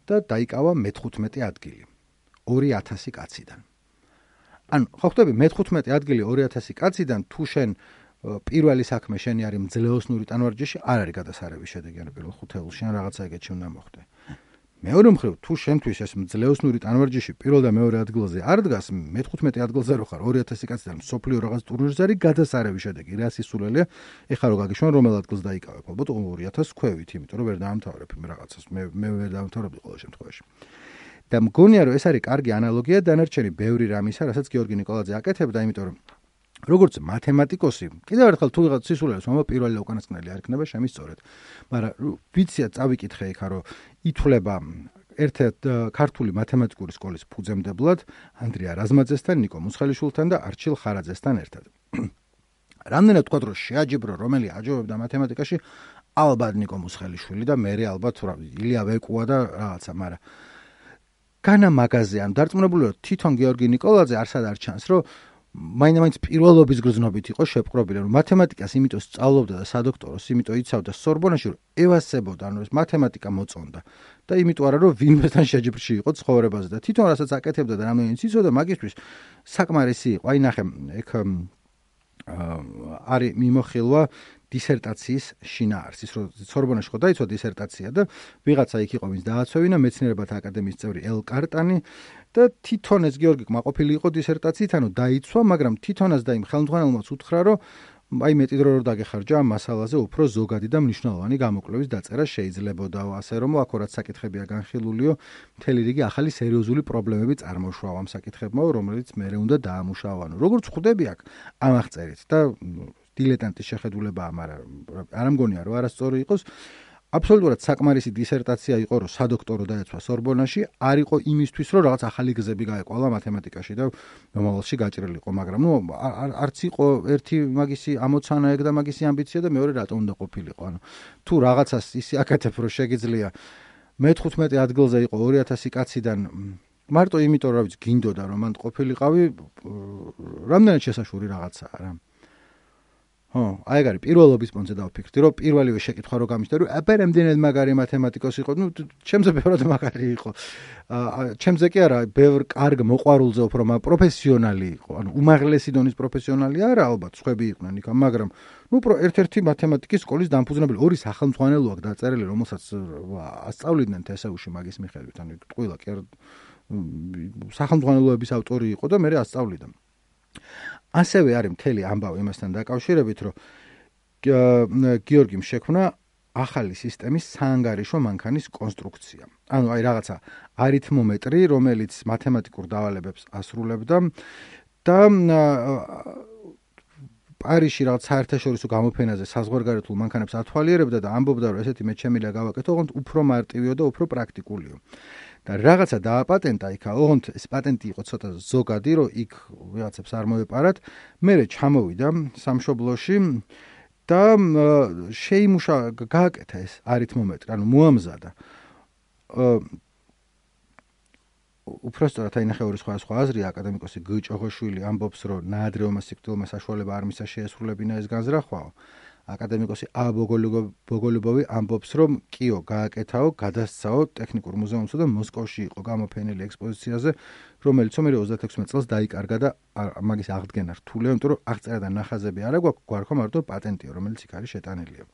და დაიკავა მე-15 ადგილი 2000 კაციდან. ანუ ხო ხვდები მე-15 ადგილი 2000 კაციდან თუ შენ პირველი საქმე შენი არის მძლეოსნური ტანვარჯიში, არ არის გადასარევი შედეგი, ანუ პირველ ხუთეულში ან რაღაცა ეგეთი უნდა მოხდე. მეორე მხრივ, თუ შენთვის ეს მძლეოსნური ტანვარჯიში პირველ და მეორე ადგილზე არ დგას, მე-15 ადგილზე რო ხარ 2000 კაციდან მსოფლიო რაღაც ტურნირზე არის გადასარევი შედეგი, რა სისულელია, ეხლა რო გაგიშვან რომელ ადგილს დაიკავებ, ალბათ 2000 ქვევით, იმიტომ რომ ვერ დაამთავრებ იმ რაღაცას, მე ვერ დაამთავრებდი ყოველ შემთხვევაში. და მგონია რომ ეს არის კარგი ანალოგია დანარჩენი ბევრი რამისა, რასაც გიორგი ნიკოლაძე აკეთებდა, იმიტომ რომ როგორც მათემატიკოსი, კიდევ ერთხელ თუ ვიღაც სისულელს მომო პირველი და უკანასკნელი არ იქნება შემისწორეთ. მაგრამ ვიცია წავიკითხე იქა რომ ითვლება ერთ-ერთ ქართული მათემატიკური სკოლის ფუძემდებლად ანდრია რაზმაძესთან, ნიკო მუსხელიშვილთან და არჩილ ხარაძესთან ერთად. რამდენად თქვა რომ შეაჯიბრო რომელი აჯობებდა მათემატიკაში, ალბათ ნიკო მუსხელიშვილი და მე ალბათ ილია ვეკუა და რაღაცა, მაგრამ განა მაგაზე ან დარწმუნებული რომ თვითონ გიორგი ნიკოლაძე არსად არ ჩანს რომ მაინც პირველობის გრძნობით იყო შეპყრობილი, რომ მათემატიკას იმიტომ სწავლობდა და სადოქტოროს იმიტომ იცავდა სორბონაში, რომ ევასებოდა, ანუ ეს მათემატიკა მოწონდა. და იმიტომ არა, რომ ვინმესთან შეჯიბრში იყო ცხოვრებაზე და თვითონ რასაც აკეთებდა და რამდენიც იცოდა, მაგისთვის საკმარისი იყო. აი ნახე, ეგ არის მიმოხილვა დისერტაციის შინაარსის, რომ სორბონაში ხო დაიცვა დისერტაცია და ვიღაცა იქ იყო, ვინც დააცვევინა, მეცნიერებათა აკადემიის წევრი ელ კარტანი და თვითონ ეს გიორგი კმაყოფილი იყო დისერტაციით, ანუ დაიცვა, მაგრამ თვითონაც და იმ ხელმძღვანელმაც უთხრა, რომ აი მეტი დრო რომ დაგეხარჯა ამ მასალაზე უფრო ზოგადი და მნიშვნელოვანი გამოკვლევის დაწერა შეიძლებოდა, ასე რომ აქ რაც საკითხებია განხილულიო, მთელი რიგი ახალი სერიოზული პრობლემები წარმოშვა ამ საკითხებმა, რომელიც მერე უნდა დაამუშავა. ანუ როგორც ხვდები აქ ამ აღწერით და დილეტანტის შეხედულებაა, მაგრამ არ მგონია რომ არასწორი იყოს. აბსოლუტურად საკმარისი დისერტაცია იყო, რომ სადოქტორო დაეცვა სორბონაში, არ იყო იმისთვის, რომ რაღაც ახალი გზები გაეყვალა მათემატიკაში და მომავალში გაჭრილიყო, მაგრამ არც იყო ერთი მაგისი ამოცანა ეგ და მაგისი ამბიცია და მეორე რატომ უნდა ყოფილიყო. ანუ თუ რაღაცას ისე აკეთებ, რომ შეგიძლია მე-15 ადგილზე იყო 2000 კაციდან მარტო იმიტომ, რომ ვიცი, გინდოდა რომ მან ყოფილიყავი, რამდენად შესაშური რაღაცაა რა. აი ეგ არის პირველობის პონზე დავფიქრდი, რომ პირველივე შეკითხვა რო გამიშდა, რომ აბა რამდენად მაგარი მათემატიკოსი იყო, ჩემზე ბევრად მაგარი იყო. ჩემზე კი არა, ბევრ კარგ მოყვარულზე უფრო პროფესიონალი იყო. ანუ უმაღლესი დონის პროფესიონალი არა, ალბათ, სხვები იყვნენ იქ, მაგრამ ერთ-ერთი მათემატიკის სკოლის დამფუძნებელი, ორი სახელმძღვანელო აქვს დაწერილი, რომელსაც ასწავლიდნენ TSU-ში მაგის მიხედვით, ანუ ყველა კი სახელმძღვანელოების ავტორი იყო და მე ასწავლიდა. ასევე არის მთელი ამბავი იმასთან დაკავშირებით, რომ გიორგიმ შექმნა ახალი სისტემის საანგარიშო მანქანის კონსტრუქცია. ანუ აი რაღაცა არითმომეტრი, რომელიც მათემატიკურ დავალებებს ასრულებდა და პარიზში რაღაც საერთაშორისო გამოფენაზე საზღვარგარეთულ მანქანებს ათვალიერებდა და ამბობდა, რომ ესეთი მე ჩემი ლაგავაკეთო, ოღონდ უფრო მარტივიო და უფრო პრაქტიკულიო. და რაღაცა დააპატენტა იქ, ოღონდ ეს პატენტი იყო ცოტა ზოგადი, რომ იქ ვიღაცებს არ მოეპარათ. მერე ჩამოვიდა სამშობლოში და გააკეთა ეს არითმომეტრი, ანუ მოამზადა. უпростоრად აინახე ორი სხვა აზრია, აკადემიკოსი გიჭოღოშვილი ამბობს, რომ ნაადრევმა სიკვდილმა საშუალება არ მისცა შეესრულებინა ეს განზრახვაო. აკადემიკოსი ბოგოლუბოვი ამბობს, რომ კიო გააკეთაო, გადასცაო ტექნიკურ მუზეუმსა და მოსკოვში იყო გამოფენილი ექსპოზიციაზე, რომელიც 26 წელს დაიკარგა და მაგის აღდგენა რთულია, იმიტომ რომ აღწერა და ნახაზები არა გვაქვს, გვარქვა მარტო პატენტია, რომელიც იქ არის შეტანილია.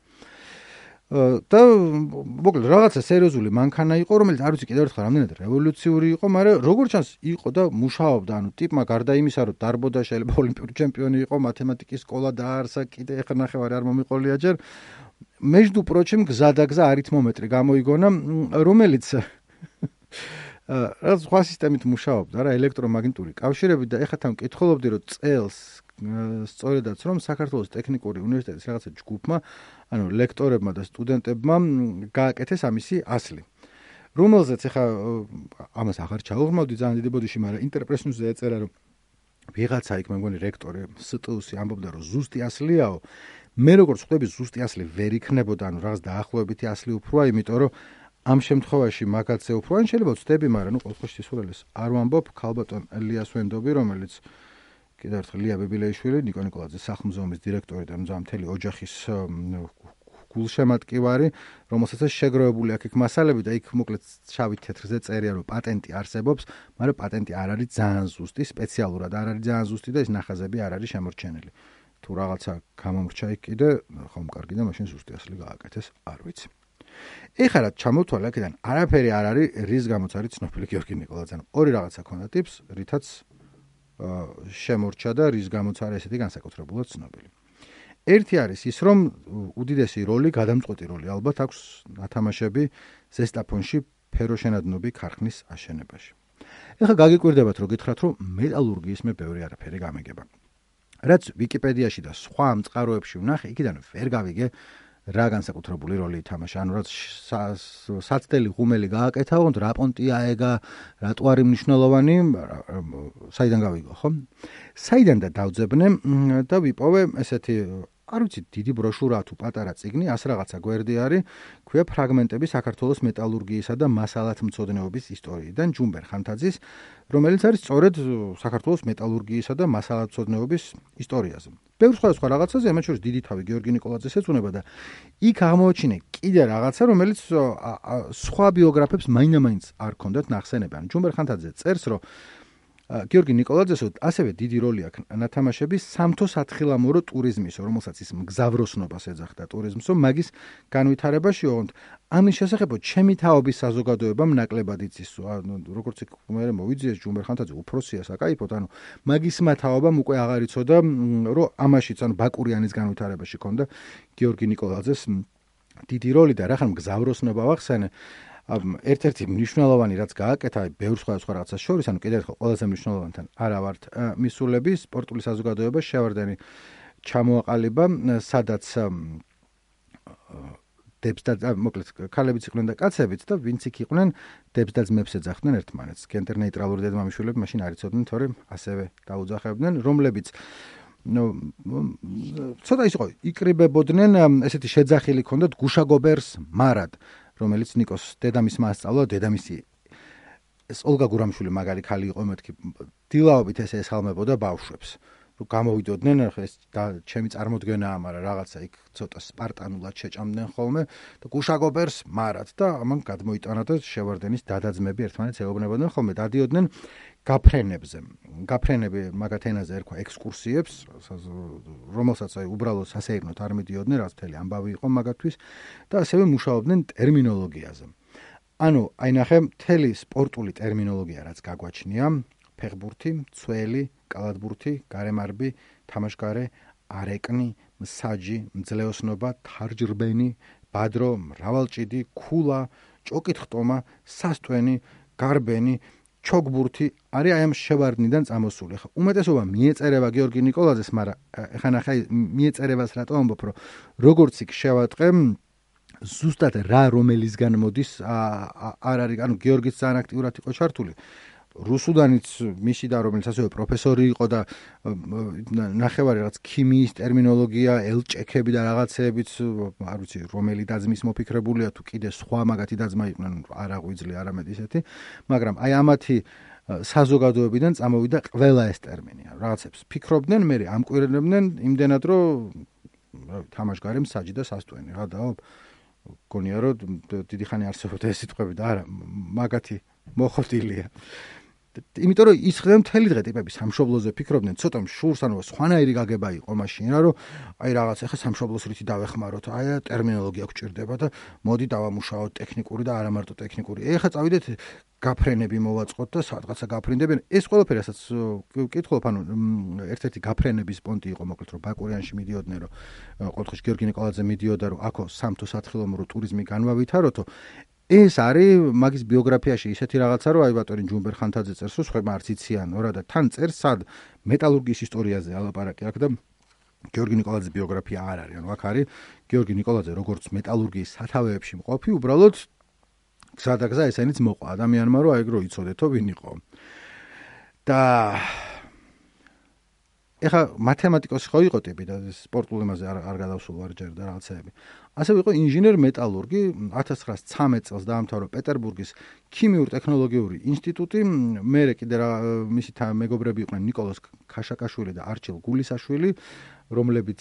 და მოკლედ რაღაცა სერიოზული მანქანა იყო, რომელიც არ ვიცი კიდევ ერთხელ რამდენად რევოლუციური იყო, მაგრამ როგორც ჩანს იყო და მუშაობდა, ანუ ტიპმა გარდა იმისა, რომ დარბოდა, შეიძლება ოლიმპიური ჩემპიონი იყო, მათემატიკის სკოლა დაარსა, კიდე ეხლა ნახევარი არ მომიყოლია ჯერ. между прочим, გზადაგზა არითმომეტრი გამოიგონა, რომელიც რაღაც სხვა სისტემით მუშაობდა, რა ელექტრომაგნიტური კავშირებით და ეხლა თან მკითხულობდი, რომ წელს სწორედაც რომ საქართველოს ტექნიკური უნივერსიტეტის რაღაცა ჯგუფმა, ანუ ლექტორებმა და სტუდენტებმა გააკეთეს ამისი ასლი. რომელზეც ეხლა ამას აღარ ჩაუღრმავდი ძალიან დიდი ბოდიში, მაგრამ ინტერპრეს ნიუსზე ეწერა, რომ ვიღაცა იქ მე მგონი რექტორი STU-ში ამბობდა, რომ ზუსტი ასლიაო. მე როგორც ხვდები, ზუსტი ასლი ვერ იქნებოდა, ანუ რაღაც დაახლოებითი ასლი უფროა, იმიტომ რომ ამ შემთხვევაში მაგაცე უფრო ან შეიძლება ვწდები, მაგრამ ყოველთვის სისულელეს არ ვამბობ, ქალბატონ ელიას ვენდობი, რომელიც კიდევ ერთხელ ლია ბებილეიშვილი, ნიკო ნიკოლაძის სახლ-მუზეუმის დირექტორი და მთელი ოჯახის გულშემატკივარი, რომელსაც შეგროვებული აქ მასალები და იქ მოკლედ შავით თეთრზე წერია, რომ პატენტი არსებობს, მაგრამ პატენტი არ არის ძალიან ზუსტი, სპეციალურად არ არის ძალიან ზუსტი და ეს ნახაზები არ არის შემორჩენილი. თუ რაღაცა გამომრჩა იქ კიდე, ხომ კარგი და მაშინ ზუსტი ასლი გააკეთეს, არ ვიცი. ეხლა რა ჩამოთვალე აქედან, არაფერი არ არის, რის გამოც არის ცნობილი გიორგი ნიკოლაძე. ორი რაღაცა ქონდა ტიპს, რითაც შემორჩა და რის გამოც არის ესეთი განსაკუთრებულად ცნობილი. ერთი არის ის, რომ უდიდესი როლი, გადამწყვეტი როლი ალბათ აქვს ათამაშები ზესტაფონში ფეროშენადნობი ქარხნის აშენებაში. ეხლა გაგიკვირდებათ, რომ გითხრათ, რომ მეტალურგიის მე ბევრი არაფერი გამეგება. რაც ვიკიპედიაში და სხვა ამ წყაროებში ვნახე, იქიდან ვერ გავიგე რა განსაკუთრებული როლი ითამაშა, ანუ რაც საცდელი ღუმელი გააკეთა, ოღონდ რა პონტია ეგა, რატო არის მნიშვნელოვანი, საიდან გავიგო, ხო? საიდან და დავძებნე და ვიპოვე ესეთი, არ ვიცი, დიდი ბროშურა თუ პატარა წიგნი, ას რაღაცა გვერდი არის, ქვია ფრაგმენტები საქართველოს მეტალურგიისა და მასალათმცოდნეობის ისტორიიდან ჯუმბერ ხანთაძის, რომელიც არის სწორედ საქართველოს მეტალურგიისა და მასალათმცოდნეობის ისტორიაზე. ბევრ სხვა რაღაცაზე, ამათ შორის დიდი თავი გიორგი ნიკოლაძეს ეძღვნება და იქ აღმოაჩინე კიდე რაღაცა, რომელიც სხვა ბიოგრაფებს მაინდა-მაინც არ ქონდათ ნახსენები. ჯუმბერ ხანთაძე წერს, რომ გიორგი ნიკოლაძეს ასევე დიდი როლი აქვს ნათამაშების სამთო სათხილამურო ტურიზმისო, რომელსაც ის მგზავროსნობას ეძახდა ტურიზმსო, მაგის განვითარებაში, ოღონდ ამის შესახებ ჩემი თაობის საზოგადოებამ ნაკლებად იცისო, როგორც იქ მე მოვიძიეს ჯუმბერ ხანთაძე უფროსია საკაიფოდ, ანუ მაგისმა თაობამ უკვე აღარ იცოდა, რომ ამაშიც, ანუ ბაკურიანის განვითარებაში ქონდა გიორგი ნიკოლაძეს დიდი როლი და რახან მგზავროსნობა ვახსენე. ერთ-ერთი მნიშვნელოვანი რაც გააკეთა, ბევრ სხვა რაღაცას შორის, ანუ კიდევ ერთხელ ყველაზე მნიშვნელოვანთან არა ვართ მისულები, სპორტული საზოგადოება შევარდენი ჩამოაყალიბა, სადაც დებს და მოკლედ ქალებიც იყვნენ და კაცებიც და ვინც იქ იყვნენ დებს და ძმებს ეძახდნენ ერთმანეთს. გენდერ ნეიტრალური დედმამიშვილები მაშინ არ იცოდნენ, თორემ ასევე დაუძახებდნენ, რომლებიც ცოტა ის იყო, იკრიბებოდნენ, ესეთი შეძახილი ჰქონდათ გუშაგობერს მარად, რომელიც ნიკოს დედამისმა ასწავლა, დედამისი ეს ოლგა გურამშვილი მაგარი ქალი იყო, მეთქი დილაობით ესე ესალმებოდა ბავშვებს. გამოვიდოდნენ, ეს ჩემი წარმოდგენაა, მაგრამ რაღაცა იქ ცოტა სპარტანულად შეჭამდნენ ხოლმე და გუშაგობერს მარად და ამან გადმოიტანა და შევარდენის დადაძმები ერთმანეთს ეუბნებოდნენ ხოლმე, დადიოდნენ გაფრენებზე. გაფრენები მაგათ ენაზე ერქვა ექსკურსიებს, რომელსაც აი უბრალოდ სასეირნოდ არ მიდიოდნენ, რაც მთელი ამბავი იყო მაგათთვის და ასევე მუშაობდნენ ტერმინოლოგიაზე. ანუ აი ნახე, მთელი სპორტული ტერმინოლოგია რაც გაგვაჩნია, ფეხბურთი, ცველი, კალათბურთი, გარემარბი, თამაშგარე, არეკნი, მსაჯი, მძლეოსნობა, თარჯრბენი, ბადრო, მრავალჭიდი, ქულა, ჭოკითხტომა, სასტვენი, გარბენი, ჩოგბურთი არის აი ამ შევარდნიდან წამოსული. ხა უმეტესობა მიეწერება გიორგი ნიკოლაძეს, მაგრამ ხა ნახე მიეწერებას რატო ამბობ, რომ როგორც იქ შევატყე ზუსტად რა რომელისგან მოდის არ არის, ანუ გიორგიც ძალიან აქტიურად იყო ჩართული. რუსუდანიც მისი და რომელიც ასევე პროფესორი იყო და ნახევარი რაღაც ქიმიის ტერმინოლოგია, ელჭექები და რაღაცეებიც, არ ვიცი, რომელი დაძმის მოფიქრებულია თუ კიდე სხვა მაგათი დაძმა იყვნენ, არ აღვიძლია არამედ ისეთი, მაგრამ აი ამათი საზოგადოებიდან წამოვიდა ყველა ეს ტერმინი. რაღაცებს ფიქრობდნენ, მე ამკვირნებდნენ იმდენად, რომ თამაშგარე, მსაჯი და სასტვენი რა და გონია რომ დიდი ხანი არსებობდა ეს სიტყვები და არა, მაგათი მოხდილია. იმიტომ რომ ის ხდება მთელი დღე ტიპები სამშობლოზე ფიქრობდნენ, ცოტა შურს, ანუ სხვანაირი გაგება იყო მაშინ რა, რომ აი რაღაც ახლა სამშობლოს რითი დავეხმაროთ, აი ტერმინოლოგია გვჭირდება და მოდი დავამუშაოთ ტექნიკური და არა მარტო ტექნიკური. ეხლა წავიდეთ გაფრენები მოვაწყოთ და სადღაცა გაფრინდებიან. ეს ყველაფერი რასაც ვკითხულობ, ანუ ერთ-ერთი გაფრენების პონტი იყო მოკლედ, რომ ბაკურიანში მიდიოდნენ, რომ ყოველთვის გიორგი ნიკოლაძე მიდიოდა, რომ აქო სამთო სათხილამურო ტურიზმი განვავითაროთო. ეს არის მაგის ბიოგრაფიაში ისეთი რაღაცა, რომ აი ბატონი ჯუმბერ ხანთაძე წერს, რომ სხვება არც იციან, რა და თან წერს სად მეტალურგიის ისტორიაზე ალაპარაკი აქ და გიორგი ნიკოლაძის ბიოგრაფია არ არის. ანუ აქ არის გიორგი ნიკოლაძე როგორც მეტალურგიის სათავეებში მყოფი, უბრალოდ გზა და გზა ესენიც მოყვა ადამიანმა, რომ აი რო იცოდეთო ვინ იყო. და ეხა მათემატიკოსი ხო იყო ტიპი და სპორტულ იმაზე არ გადავსულ არ ჯერ და რაღაცეები. ასევე იყო ინჟინერ-მეტალურგი, 1913 წელს დაამთავრა პეტერბურგის ქიმიურ-ტექნოლოგიური ინსტიტუტი, მერე კიდე მისი მეგობრები იყვნენ ნიკოლოზ ქაშაკაშვილი და არჩილ გულისაშვილი, რომლებიც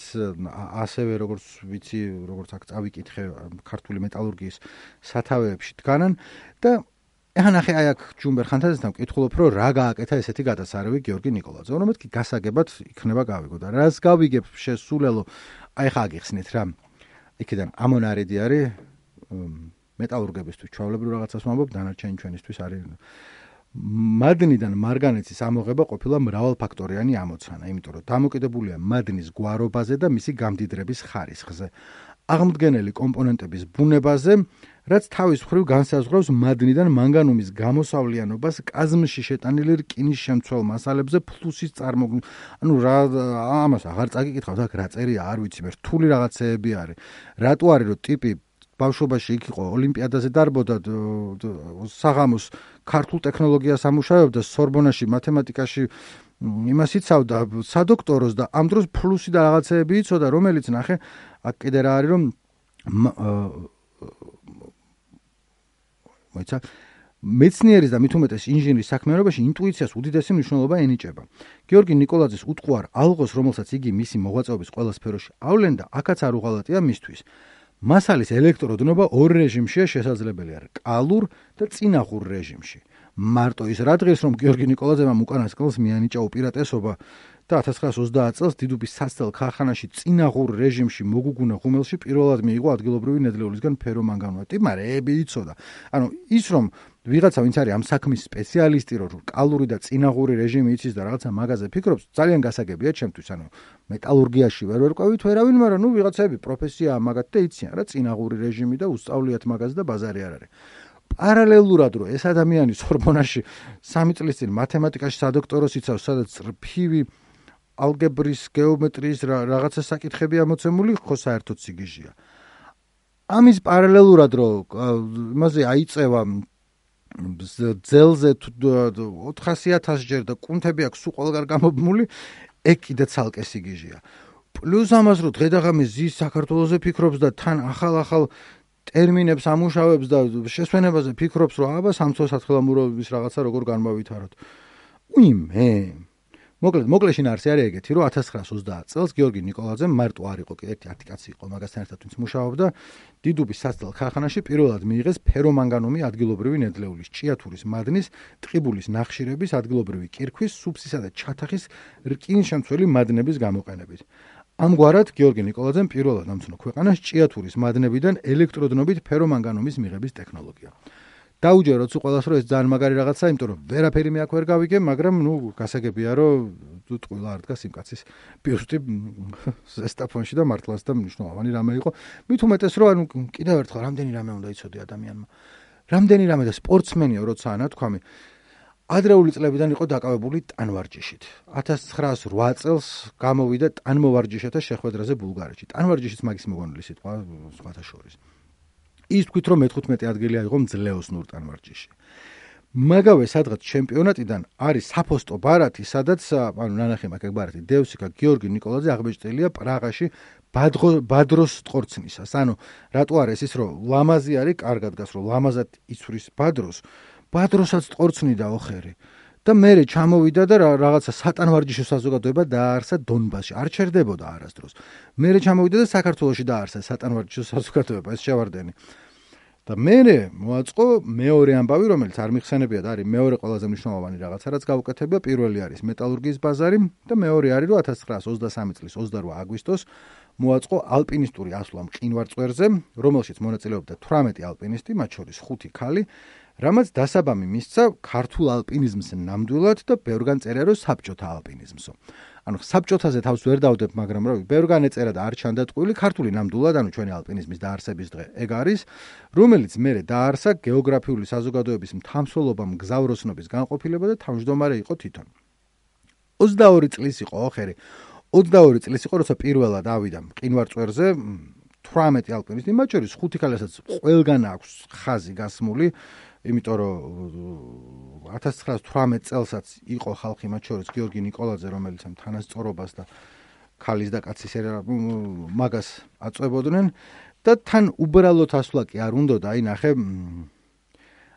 ასევე როგორც ვიცი, როგორც აქ წავიკითხე, ქართული მეტალურგიის სათავეებში დგანან და ეხლა ნახე აი აქ ჯუმბერ ხანთაძესთან ვკითხულობ, რომ რა გააკეთა ესეთი გადასარევი გიორგი ნიკოლაძე. რომ მეთქი გასაგებად იქნება გავიგო და რას გავიგებ შესულელო, აი ხა აგიხსნით რა. იქიდან ამონარიდი არის მეტალურგებისთვის, ჩვეულებრივ რაღაცას ვამბობ, დანარჩენი ჩვენისთვის არის მადნიდან მარგანეცის ამოღება ყოფილა მრავალფაქტორიანი ამოცანა, იმიტომ რომ დამოკიდებულია მადნის გვარობაზე და მისი გამდიდრების ხარისხზე. აღმდგენელი კომპონენტების ბუნებაზე, რაც თავის მხრივ განსაზღვრავს მადნიდან მანგანუმის გამოსავლიანობას კაზმში შეტანილი რკინის შემცველ მასალებზე ფლუსის წარმოქმნით. ანუ რა ამას აღარ წაგიკითხავთ, აქ რა წერია, არ ვიცი, მე რთული რაღაცეები არის. რატო არის რომ ტიპი ბავშვობაში იქ იყო, ოლიმპიადაზე დარბოდა, საღამოს ქართულ ტექნოლოგიას ამუშავებდა, სორბონაში მათემატიკაში იმას იცავდა, სადოქტოროს და ამ დროს ფლუსი და რაღაცეები იცოდა, რომელიც ნახე, აქ კიდე რა არის რომ მოიცა მეცნიერის და მით უმეტეს ინჟინრის საქმიანობაში ინტუიციას უდიდესი მნიშვნელობა ენიჭება. გიორგი ნიკოლაძის უტყუარ ალღოს, რომელსაც იგი მისი მოღვაწეობის ყველა სფეროში ავლენდა, აქაც არ უღალატია მისთვის. მასალის ელექტროდნობა ორ რეჟიმშია შესაძლებელი, რკალურ და წინაღურ რეჟიმში. მარტო ის რა დღეს რომ გიორგი ნიკოლაძემ უკანასკნელს მიანიჭა უპირატესობა და 1930 წელს დიდუბის სასწელ ქარხანაში წინაღურ რეჟიმში მოგუგუნა ღუმელში პირველად მიიღო ადგილობრივი ნედლეულისგან ფერომანგანო. ტიპმა რეები იცოდა. ანუ ის რომ ვიღაცა ვინც არის ამ საქმის სპეციალისტი, რომ კალური და წინაღური რეჟიმი იცის და რაღაცა მაგაზე ფიქრობს, ძალიან გასაგებია ჩემთვის. ანუ მეტალურგიაში ვერ ვერკვევით ვერავინ, მაგრამ ნუ ვიღაცები პროფესია მაგათ და იციან რა წინაღური რეჟიმი და უსწავლიათ მაგაზე და ბაზარი არ არის. პარალელურად რომ ეს ადამიანი სორბონაში 3 წლის წინ მათემატიკაში სადოქტოროს იცავს, სადაც რფივი ალგებრის, გეომეტრიის რაღაცა საკითხები ამოცემული, ხო საერთოდ სიგიჟია. ამის პარალელურად რომ იმაზე აიწევა ძელზე 400,000 ჯერ და კუნთები აქვს სულ ყველგან გამობმული, ეგ კიდე ცალკე სიგიჟეა. პლუს ამას რომ დღედაღამის ზის საქართველოზე ფიქრობს და თან ახალ ტერმინებს ამუშავებს და შესვენებაზე ფიქრობს, რომ აბა სამწო-სათხილამურობის რაღაცა როგორ განმავითაროთ. უიმე. მოკლედ შინაარსი არის ეგეთი, რომ 1930 წელს გიორგი ნიკოლაძემ მარტო არ იყო, ერთი კაცი იყო მაგასთან ერთად, ვინც მუშაობდა დიდუბის სასწავლ ქარხანაში, პირველად მიიღეს ფერომანგანუმი ადგილობრივი ნედლეულის, ჭიათურის მადნის, ტყიბულის ნახშირების, ადგილობრივი კირქვის, სუფსისა და ჩათახის რკინშემცველი მადნების გამოყენებით. ამგვარად გიორგი ნიკოლაძემ პირველად ამცნო ქვეყანას ჭიათურის მადნებიდან ელექტროდნობით ფერომანგანუმის მიღების ტექნოლოგია. დაუჯეროთ ყველას რომ ეს ძალიან მაგარი რაღაცაა, იმიტომ რომ ვერაფერი მე აქ ვერ გავიგე, მაგრამ გასაგებია რომ ტყუილა არ დგას იმ კაცის ბიუსტი ზესტაფონში და მართლაც და მნიშვნელოვანი რამე იყო. მით უმეტეს რომ კიდევ ერთხელ რამდენი რამე უნდა იცოდე ადამიანმა. რამდენი რამე და სპორტსმენიო როცა ნათქვამი ადრეული წლებიდან იყო დაკავებული ტანვარჯიშით. 1908 წელს გამოვიდა ტანმოვარჯიშეთა შეხვედრაზე ბულგარეთში. ტანვარჯიშიც მაგის მოგონილი სიტყვა სხვათა შორის. ის თქვით რომ მე-15 ადგილი აიღო მძლეოსნურ ტანვარჯიშში. მაგავე სადღაც ჩემპიონატიდან არის საფოსტო ბარათი, სადაც ნანახი მაგ ბარათი დევსიკა გიორგი ნიკოლაძე აღბეჭდილია პრაღაში ბადროს ტყორცნისას. ანუ რატო არის ის რომ ლამაზი არის, კარგად გას რომ ლამაზად იცვრის ბადროსაც ტყორცნიდა ოხერი. და მერე ჩამოვიდა და რაღაცა სატანვარჯიშო საზოგადოება დააარსა დონბასში. არ ჩერდებოდა არასდროს. მერე ჩამოვიდა და საქართველოში დააარსა სატანვარჯიშო საზოგადოება, ეს შევარდენი. და მერე მოაწყო მეორე ამბავი, რომელიც არ მიხსენებია და არის მეორე ყველაზე მნიშვნელოვანი რაღაცა, რაც გაუკეთებია. პირველი არის მეტალურგიის ბაზარი და მეორე არის რომ 1923 წლის 28 აგვისტოს მოაწყო ალპინისტური ასვლა მყინვარწვერზე, რომელშიც მონაწილეობდა 18 ალპინისტი, მათ შორის 5 ქალი. რამაც დასაბამი მისცა ქართულ ალპინიზმს ნამდვილად და ბევრგან წერია რომ საბჭოთა ალპინიზმსო. ანუ საბჭოთაზე თავს ვერ დავდებ, მაგრამ რა ბევრგან ეწერა და არ ჩანდა ტყუილი, ქართული ნამდვილად, ანუ ჩვენი ალპინიზმის დაარსების დღე ეგ არის, რომელიც მერე დაარსა გეოგრაფიული საზოგადოების მთამსვლელობა მგზავროსნობის განყოფილება და თავმჯდომარე იყო თვითონ. 22 წლის იყო ოხერი. 22 წლის იყო, როცა პირველად ავიდა მყინვარწვერზე 18 ალპინისტი, მათ შორის 5 ქალისაც ყველგან აქვს ხაზი გასმული. იმიტომ რომ 1918 წელსაც იყო ხალხი, მათ შორის გიორგი ნიკოლაძე, რომელიც ამ თანასწორობას და ქალის და კაცის მაგას აწვებოდნენ და თან უბრალოდ ასვლა კი არ უნდოდა, აი ნახე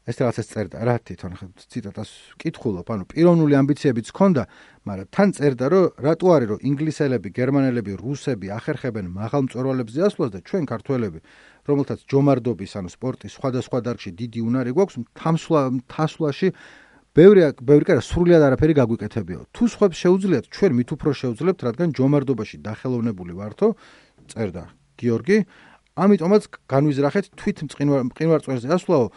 ეს რაღაცას წერდა რა თვითონ ციტატას კითხულობ, ანუ პიროვნული ამბიციებიც ჰქონდა, მაგრამ თან წერდა რომ რატო არის რომ ინგლისელები, გერმანელები, რუსები ახერხებენ მაღალ მწვერვალებზე ასვლას და ჩვენ ქართველები რომელთაც ჯომარდობის, ანუ სპორტის სხვადასხვა დარგში დიდი უნარი გვაქვს, თასვლაში ბევრი კარა სრულად არაფერი გაგვიკეთებიო. თუ სხვებს შეუძლიათ, ჩვენ მით უფრო შევძლებთ, რადგან ჯომარდობაში დახელოვნებული ვართო, წერდა გიორგი. ამიტომაც განვიზრახეთ თვით მყინვარწვერზე ასვლაო.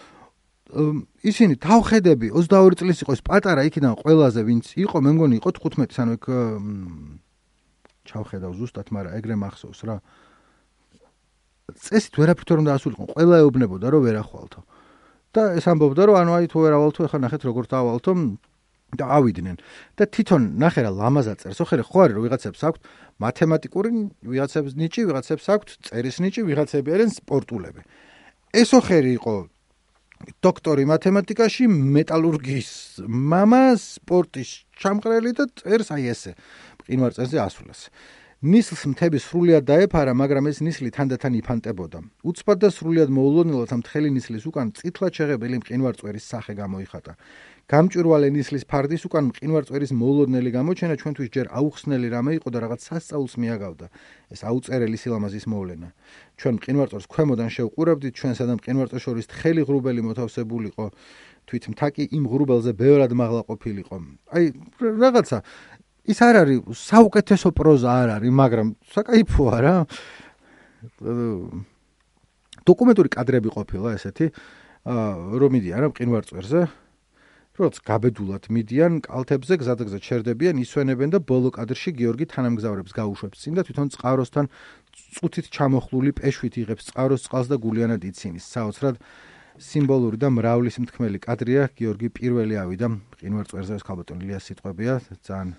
ისინი თავხედები 22 წლის იყო, ეს პატარა იქიდან ყველაზე ვინც იყო, მე მგონი იყო 15, ანუ ეგ ჩავხედავ ზუსტად, მაგრამ ეგრე მახსოვს რა. წესით ვერაფრით რომ დაასულიყო, ყველა ეუბნებოდა რომ ვერ ახვალთო. და ეს ამბობდა რომ ანუ აი თუ ვერ ავალთო, ეხლა ნახეთ როგორ დაავალთო და ავიდნენ. და თვითონ ნახე რა ლამაზად წერს. ოხერი ხო არის რომ ვიღაცებს აქვთ მათემატიკური, ვიღაცებს ნიჭი, ვიღაცებს აქვთ წერის ნიჭი, ვიღაცები არიან სპორტულები. ეს ოხერი იყო დოქტორი მათემატიკაში, მეტალურგიის მამა, სპორტის ჩამყრელი და წერს აი ესე მყინვარწვერზე ასვლას. ნისლს მთები სრულიად დაეფარა, მაგრამ ეს ნისლი თანდათან იფანტებოდა. უცბად და სრულიად მოულოდნელად ამ თხელი ნისლის უკან წითლად შეღებილი მყინვარწვერის სახე გამოიხატა. გამჭვირვალე ნისლის ფარდის უკან მყინვარწვერის მოულოდნელი გამოჩენა ჩვენთვის ჯერ აუხსნელი რამე იყო და რაღაც სასწაულს მიაგავდა. ეს აუწერელი სილამაზის მოვლენა. ჩვენ მყინვარწვერს ქვემოდან შევყურებდით, ჩვენსა და მყინვარწვერს შორის თხელი ღრუბელი მოთავსებულიყო. თვით მთაკი იმ ღრუბელზე ბევრად მაღლა ყოფილიყო. აი რაღაცა ის არ არის საუკეთესო პროზა არ არის, მაგრამ საკაიფოა რა. დოკუმენტური კადრები ყოფილა ესეთი, რომ მიდიან რა მყინვარწვერზე, როც გაბედულად მიდიან კალთებზე, გზადაგზად ჩერდებიან, ისვენებენ და ბოლო კადრში გიორგი თანამგზავრებს გაუშვებს წინ და თვითონ წყაროსთან წუთით ჩამოხლული პეშვით იღებს წყაროს წყალს და გულიანად იცინის. საოცრად სიმბოლური და მრავლის მთქმელი კადრია. გიორგი პირველი ავიდა მყინვარწვერზე, ეს ქალბატონ ილიას სიტყვებია, ძალიან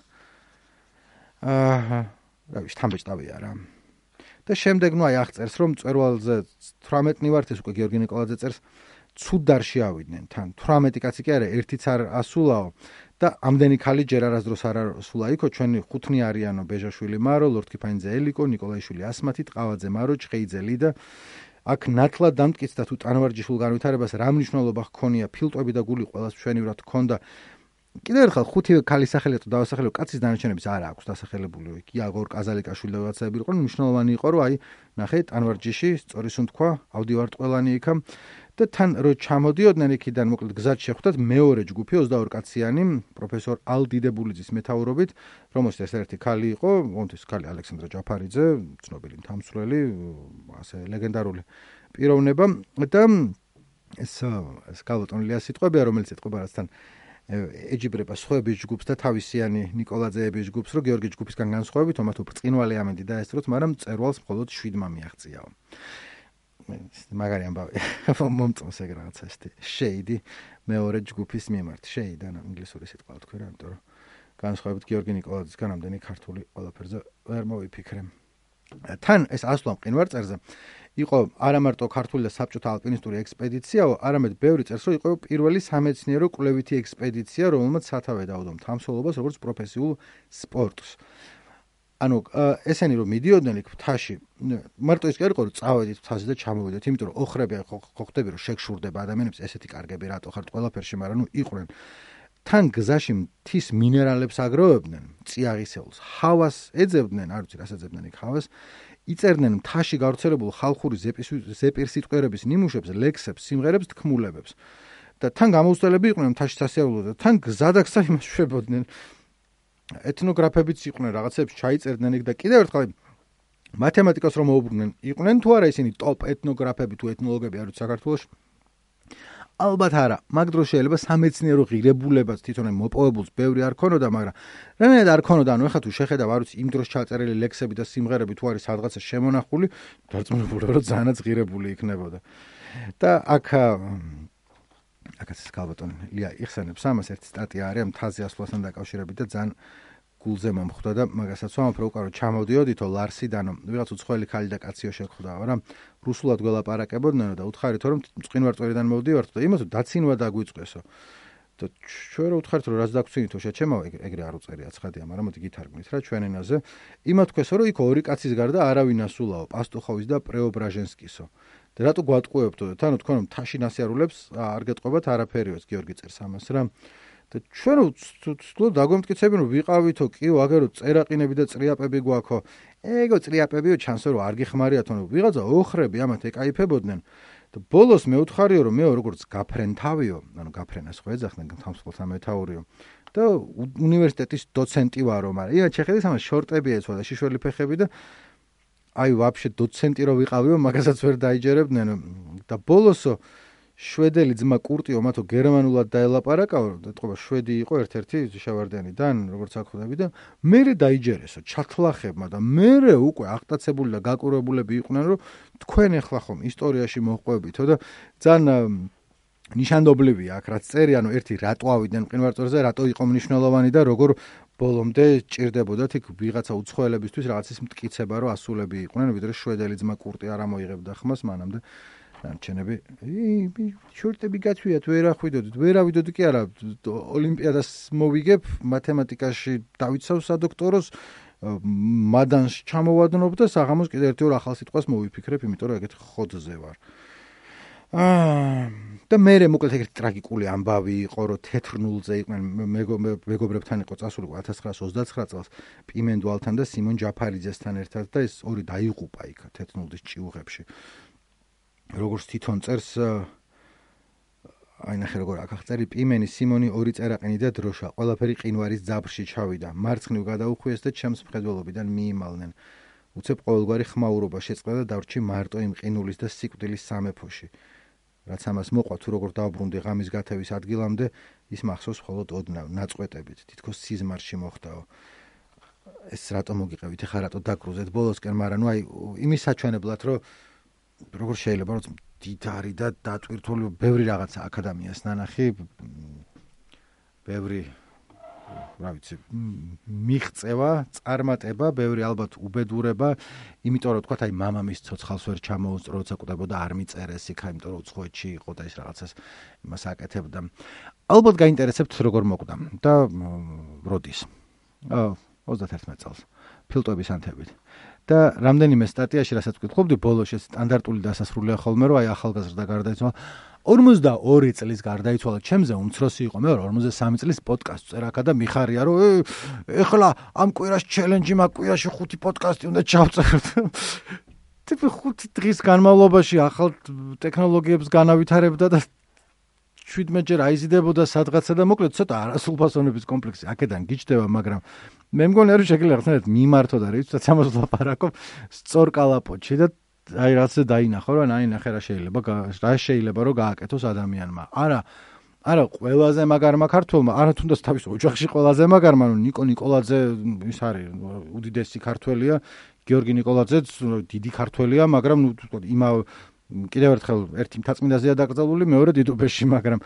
რა ვიცი, თამბეჭდავია რა. და შემდეგ ნუ აი აღწერს რომ მწვერვალზე 18 ვართ ეს უკვე გიორგი ნიკოლაძე წერს ცუდარში ავიდნენ თან 18 კაცი კი არა ერთიც არ ასულაო და ამდენი ხალი ჯერ არასდროს არ ასულა იქო ჩვენი ხუთნი არიანო ბეჟაშვილი მარო ლორდკიფანიძე ელიკო ნიკოლაიშვილი ასმათი ტყავაძე მარო ჭყეიძე ლიდა აქ ნათლად დამტკიცდა თუ ტანვარჯიშულ განვითარებას რა მნიშვნელობა ჰქონია ფილტვები და გული ყველას მშვენივრად ჰქონდა კიდევ ერთხელ ხუთი ქალის სახელი თუ დავასახელებო კაცის დანარჩენების არა აქვს დასახელებული იაგორ კაზალიკაშვილი და ვაცები იყო მნიშვნელოვანი იყო რომ აი ნახე ტანვარჯიში სწორი სუნთქვა ავდივარტყველანი იქა და თან რო ჩამოდიოდნენ იქიდან მოკლედ გზად შეხვდათ მეორე ჯგუფი 22 კაციანი პროფესორ ალდიდებულიძის მეთაურობით რომელსაც ერთ-ერთი ქალი იყო მომთის ქალი ალექსანდრე ჯაფარიძე ცნობილი მთამსვლელი ასე ლეგენდარული პიროვნება და ეს გალოტონილია სიტყვებია რომელიც ეთყობა რასთან ეჯიბრება სხვების ჯგუფს და თავისიანი ნიკოლაძეების ჯგუფს რომ გიორგი ჯგუფისგან განსხვავებით ომათო ბრწყინვალე ამინდი დაესწროთ მაგრამ მწერვალს მხოლოდ 7-მა მიაღწიაო მაგარი ამბავი მომწონს ეგ რაღაცა ესეთი შეიდი მეორე ჯგუფის მიმართ შეიდი ან ინგლისური სიტყვა თქვი რა იმიტომ რომ განსხვავებით გიორგი ნიკოლაძისგან ამდენი ქართული ყველაფერზე ვერ მოვიფიქრე თან ეს ასვლა მყინვარწერზე იყო არა მარტო ქართული და საბჭოთა ალპინისტური ექსპედიციაო, არამედ ბევრი წერს, რომ იყო პირველი სამეცნიერო კვლევითი ექსპედიცია, რომელმაც სათავე დაუდო მთამსვლელობას როგორც პროფესიულ სპორტს. ანუ ესენი რომ მიდიოდნენ იქ მთაში, მარტო ის კი არ იყო რომ წავედით მთაზე და ჩამოვიდეთ, იმიტომ რომ ოხრები ხო ხდები რომ შეგშურდება ადამიანებს ესეთი კარგები რატო ხართ ყველაფერში, მაგრამ ნუ იყვნენ. თან გზაში მთის მინერალებს აგროვებდნენ, წიაღისეულს, ჰავას ეძებდნენ, არ ვიცი რას ეძებდნენ იქ ჰავას. იწერდნენ მთაში გავრცელებულ ხალხური ზეპირსიტყვიერების ნიმუშებს, ლექსებს, სიმღერებს, თქმულებებს. და თან გამოუცდელები იყვნენ მთაში სასიარულო და თან გზადაგსა იმას შვებოდნენ. ეთნოგრაფებიც იყვნენ, რაღაცებს ჩაიწერდნენ იქ და კიდევ ერთხელ მათემატიკას რომ მოუბრუნდნენ, იყვნენ თუ არა ისინი ტოპ ეთნოგრაფები თუ ეთნოლოგები არ ვიცი საქართველოში. ალბათ არა, მაგ დროს შეიძლება სამეცნიერო ღირებულებაც თვითონ მოპოვებულს ბევრი არ ქონოდა, მაგრამ რამე არ ქონოდა, ანუ ეხლა თუ შეხედავ, არ ვიცი, იმ დროს ჩაწერილი ლექსები და სიმღერები თუ არის სადღაცა შემონახული, დარწმუნებული რომ ძალიანაც ღირებული იქნებოდა. და აქაც გალბატონი ლია იხსენებს ამას ერთი სტატია არის მთაზე ასვლასთან დაკავშირებით და ძალიან გულზე მომხვდა და მაგასაც ვამბობ რომ უკარო ჩამოდიოდითო ლარსიდანო ვიღაც უცხოელი ქალი და კაციო შეხვდაო რა რუსულად გველაპარაკებოდნენ და უთხარით რომ მწყინვარწვერიდან მოვდივართ და იმათო დაცინვა დაგვიწყესო და ჩვენ რომ უთხარით რომ რაც დაგცინითო შეჩემავ ეგრე არ უწერია ცხადია მაგრამ მოდი გითარგმნით რა ჩვენ ენაზე იმათ თქვესო რომ იქ ორი კაცის გარდა არავინ ასულაო პასტუხოვის და პრეობრაჟენსკისო და რატო გვატყუებთო და თანო თქვენ რომ თაში ნასიარულებს არ გეტყობათ არაფერიოს გიორგი წერს ამას რა და ჩვენ ვთქვით დაგვემტკიცებინ რომ ვიყავითო კიო აგერო წერაყინები და წრიაპები გვაქო ეგო წრიაპებიო ჩანსო რომ არ გიხმარიათო რომ ვიღაცა ოხრები ამათ ეკაიფებოდნენ და ბოლოს მე უთხარიო რომ მე როგორც გაფრენ თავიო ანუ გაფრენას ხო ეძახდნენ თამსხლთა მეთაურიო და უნივერსიტეტის დოცენტი ვარო მაგრამ ია ჩეხედის ამას შორტები ეცვა და შიშველი ფეხები და აი ვაფშე დოცენტი რო ვიყავიო მაგასაც ვერ დაიჯერებდნენ და ბოლოსო შვედელი ძმა კურტიო მათო გერმანულად დაელაპარაკაო და თქო შვედი იყო ერთ-ერთი შევარდენიდან როგორც აკვდები და მერე დაიჯერესო ჩათლახებმა და მერე უკვე აღტაცებული და გაკურებულები იყვნენ რომ თქვენ ახლა ხომ ისტორიაში მოყვებითო და ძალიან ნიშანდობლივია აქ რაც წერი ანუ ერთი რატო ავიდნენ მყინვარწვერზე რატო იყო მნიშვნელოვანი და როგორ ბოლომდე ჭირდებოდათ იქ ვიღაცა უცხოელებისთვის რაღაცის მტკიცება რომ ასულები იყვნენ ვიდრე შვედელი ძმა კურტი არ ამოიღებდა ხმას მანამდე რამჩენები შორტები გათვიათ ვერ ავიდოდი კი არა ოლიმპიადას მოვიგებ მათემატიკაში დავიცავ სადოქტოროს მადანს ჩამოვადნობ და საღამოს კიდევ ერთი ორ ახალ სიტყვას მოვიფიქრებ იმიტომ რომ ეგეთ ხოძზე ვარ და მერე მოკლედ ეგრეთ ტრაგიკული ამბავი იყო რომ თეთრნულზე იყვნენ მეგობრებთან იყო წასული 1929 წელს პიმენდვალთან და სიმონ ჯაფარიძესთან ერთად და ეს ორი დაიღუპა იქ თეთრნულის ჭიუღებში როგორც თვითონ წერს აი ნახე როგორ აღწერი პიმენი სიმონი ორი წერაყინი და დროშა ყველაფერი ყინვარის ძაბრში ჩავიდა მარცხნივ გადაუხვიეს და ჩემს მხედველობიდან მიიმალნენ უცებ ყოველგვარი ხმაურობა შეწყდა და დავრჩი მარტო იმ ყინულის და სიკვდილის სამეფოში რაც ამას მოყვა თუ როგორ დავბრუნდი ღამის გათევის ადგილამდე ის მახსოვს მხოლოდ ოდნავ ნაწყვეტებით თითქოს სიზმარში მოხდაო ეს რატო მოგიყევით ეხლა რატო დაკრუზეთ ბოლოსკენ მაგრამ ნუ აი იმის საჩვენებლად რომ როგორ შეიძლება რომ დიდარი და დატვირთული ბევრი რაღაცა აკადემიას ნანახი ბევრი რა ვიცი, მიღწევა, წარმატება, ბევრი ალბათ უბედურება, იმიტომ რომ თქვა, აი მამამის ცოცხალს ვერ ჩამოუსწრო, როცა კვდებოდა არ მიწერეს იქ, იმიტომ რომ უცხოეთში იყო და ის რაღაცას იმას აკეთებდა. ალბათ გაინტერესებთ როგორ მოკვდა და როდის. 31 წელს. ფილტვების ანთებით. და რამდენიმე სტატიაში, რასაც ვკითხულობდი, ბოლოში სტანდარტული დასასრულია ხოლმე, რომ აი ახალგაზრდა გარდაიცვალა. 42 წლის გარდაიცვალა, ჩემზე უმცროსი იყო, მე 53 წლის პოდკასტს წერა და მიხარია, რომ ეხლა ამ კვირას ჩელენჯი, მაგ კვირაში 5 პოდკასტი უნდა ჩავწეროთ. ტიპი 5 დღის განმავლობაში ახალ ტექნოლოგიებს განავითარებდა და 17-ჯერ აიზიდებოდა სადღაცა და მოკლედ ცოტა არასრულფასოვნების კომპლექსი აქედან გიჩდება, მაგრამ მე მგონია რომ შეგიძლია ხნერად მიმართო და რიცხვად ამას ვლაპარაკობ სწორ კალაპოტში და აი რაღაცა დაინახო რომ აინახე რა შეიძლება რომ გააკეთოს ადამიანმა. არა ყველაზე მაგარმა ქართველმა, არა თუნდაც თავის ოჯახში ყველაზე მაგარმა, რომ ნიკო ნიკოლაძე ის არის უდიდესი ქართველია, გიორგი ნიკოლაძეც დიდი ქართველია, მაგრამ იმავე კიდევ ერთხელ ერთი მთაწმინდაზეა დაკრძალული, მეორე დიდუბეში, მაგრამ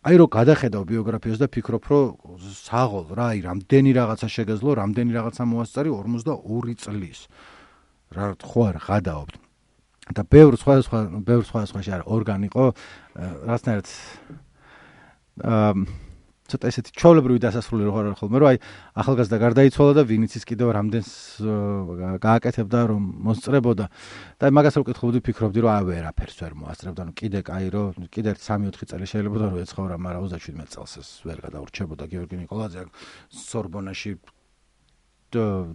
აი რომ გადახედავ ბიოგრაფიას და ფიქრობ, რომ საღოლ რა, აი რამდენი რაღაცა შეგეძლო, რამდენი რაღაცა მოასწარი 42 წლის. რა ხო არ გადაობთ. და ბევრ სხვადასხვაში არა ორგანი იყო, რაღაცნაირად ცოტა ესეთი ჩვეულებრივი დასასრული რო არ ხოლმე, რომ აი ახალგაზრდა გარდაიცვალა და ვინიცის კიდევ რამდენს გააკეთებდა, რომ მოსწრებოდა. და მაგას რო ვკითხულობდი, ფიქრობდი, რომ აი ვერაფერს ვერ მოასწრებდა, ანუ კიდე კაი რო კიდე 3-4 წელი შეიძლება რომ ეცხოვრა, მაგრამ 37 წელს ეს ვერ გადაურჩებოდა გიორგი ნიკოლაძე სორბონაში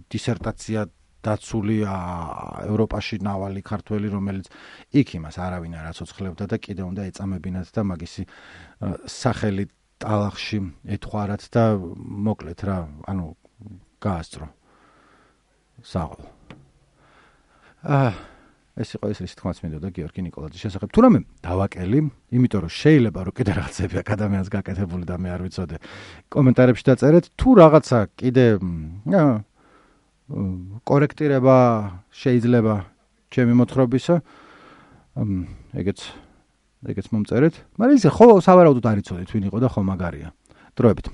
დისერტაცია დაცული ევროპაში ნავალი ქართველი, რომელიც იქ იმას არავინ არ აცოცხლებდა და კიდე უნდა ეწამებინათ და მაგისი სახელი ტალახში ეთხვარათ და მოკლედ რა, ანუ გაასწრო. საღოლ. ეს იყო ის რის თქმაც მინდოდა გიორგი ნიკოლაძის შესახებ. თუ რამე დავაკელი, იმიტომ რომ შეიძლება რომ კიდე რაღაცები ადამიანს გაკეთებული და მე არ ვიცოდე. კომენტარებში დაწერეთ, თუ რაღაცა კიდე კორექტირება შეიძლება ჩემი მოთხრობისა. ეგეც მომწერეთ. მაგრამ ისე ხო სავარაუდოდ არ იცოდით ვინ იყო და ხო მაგარია. დროებით.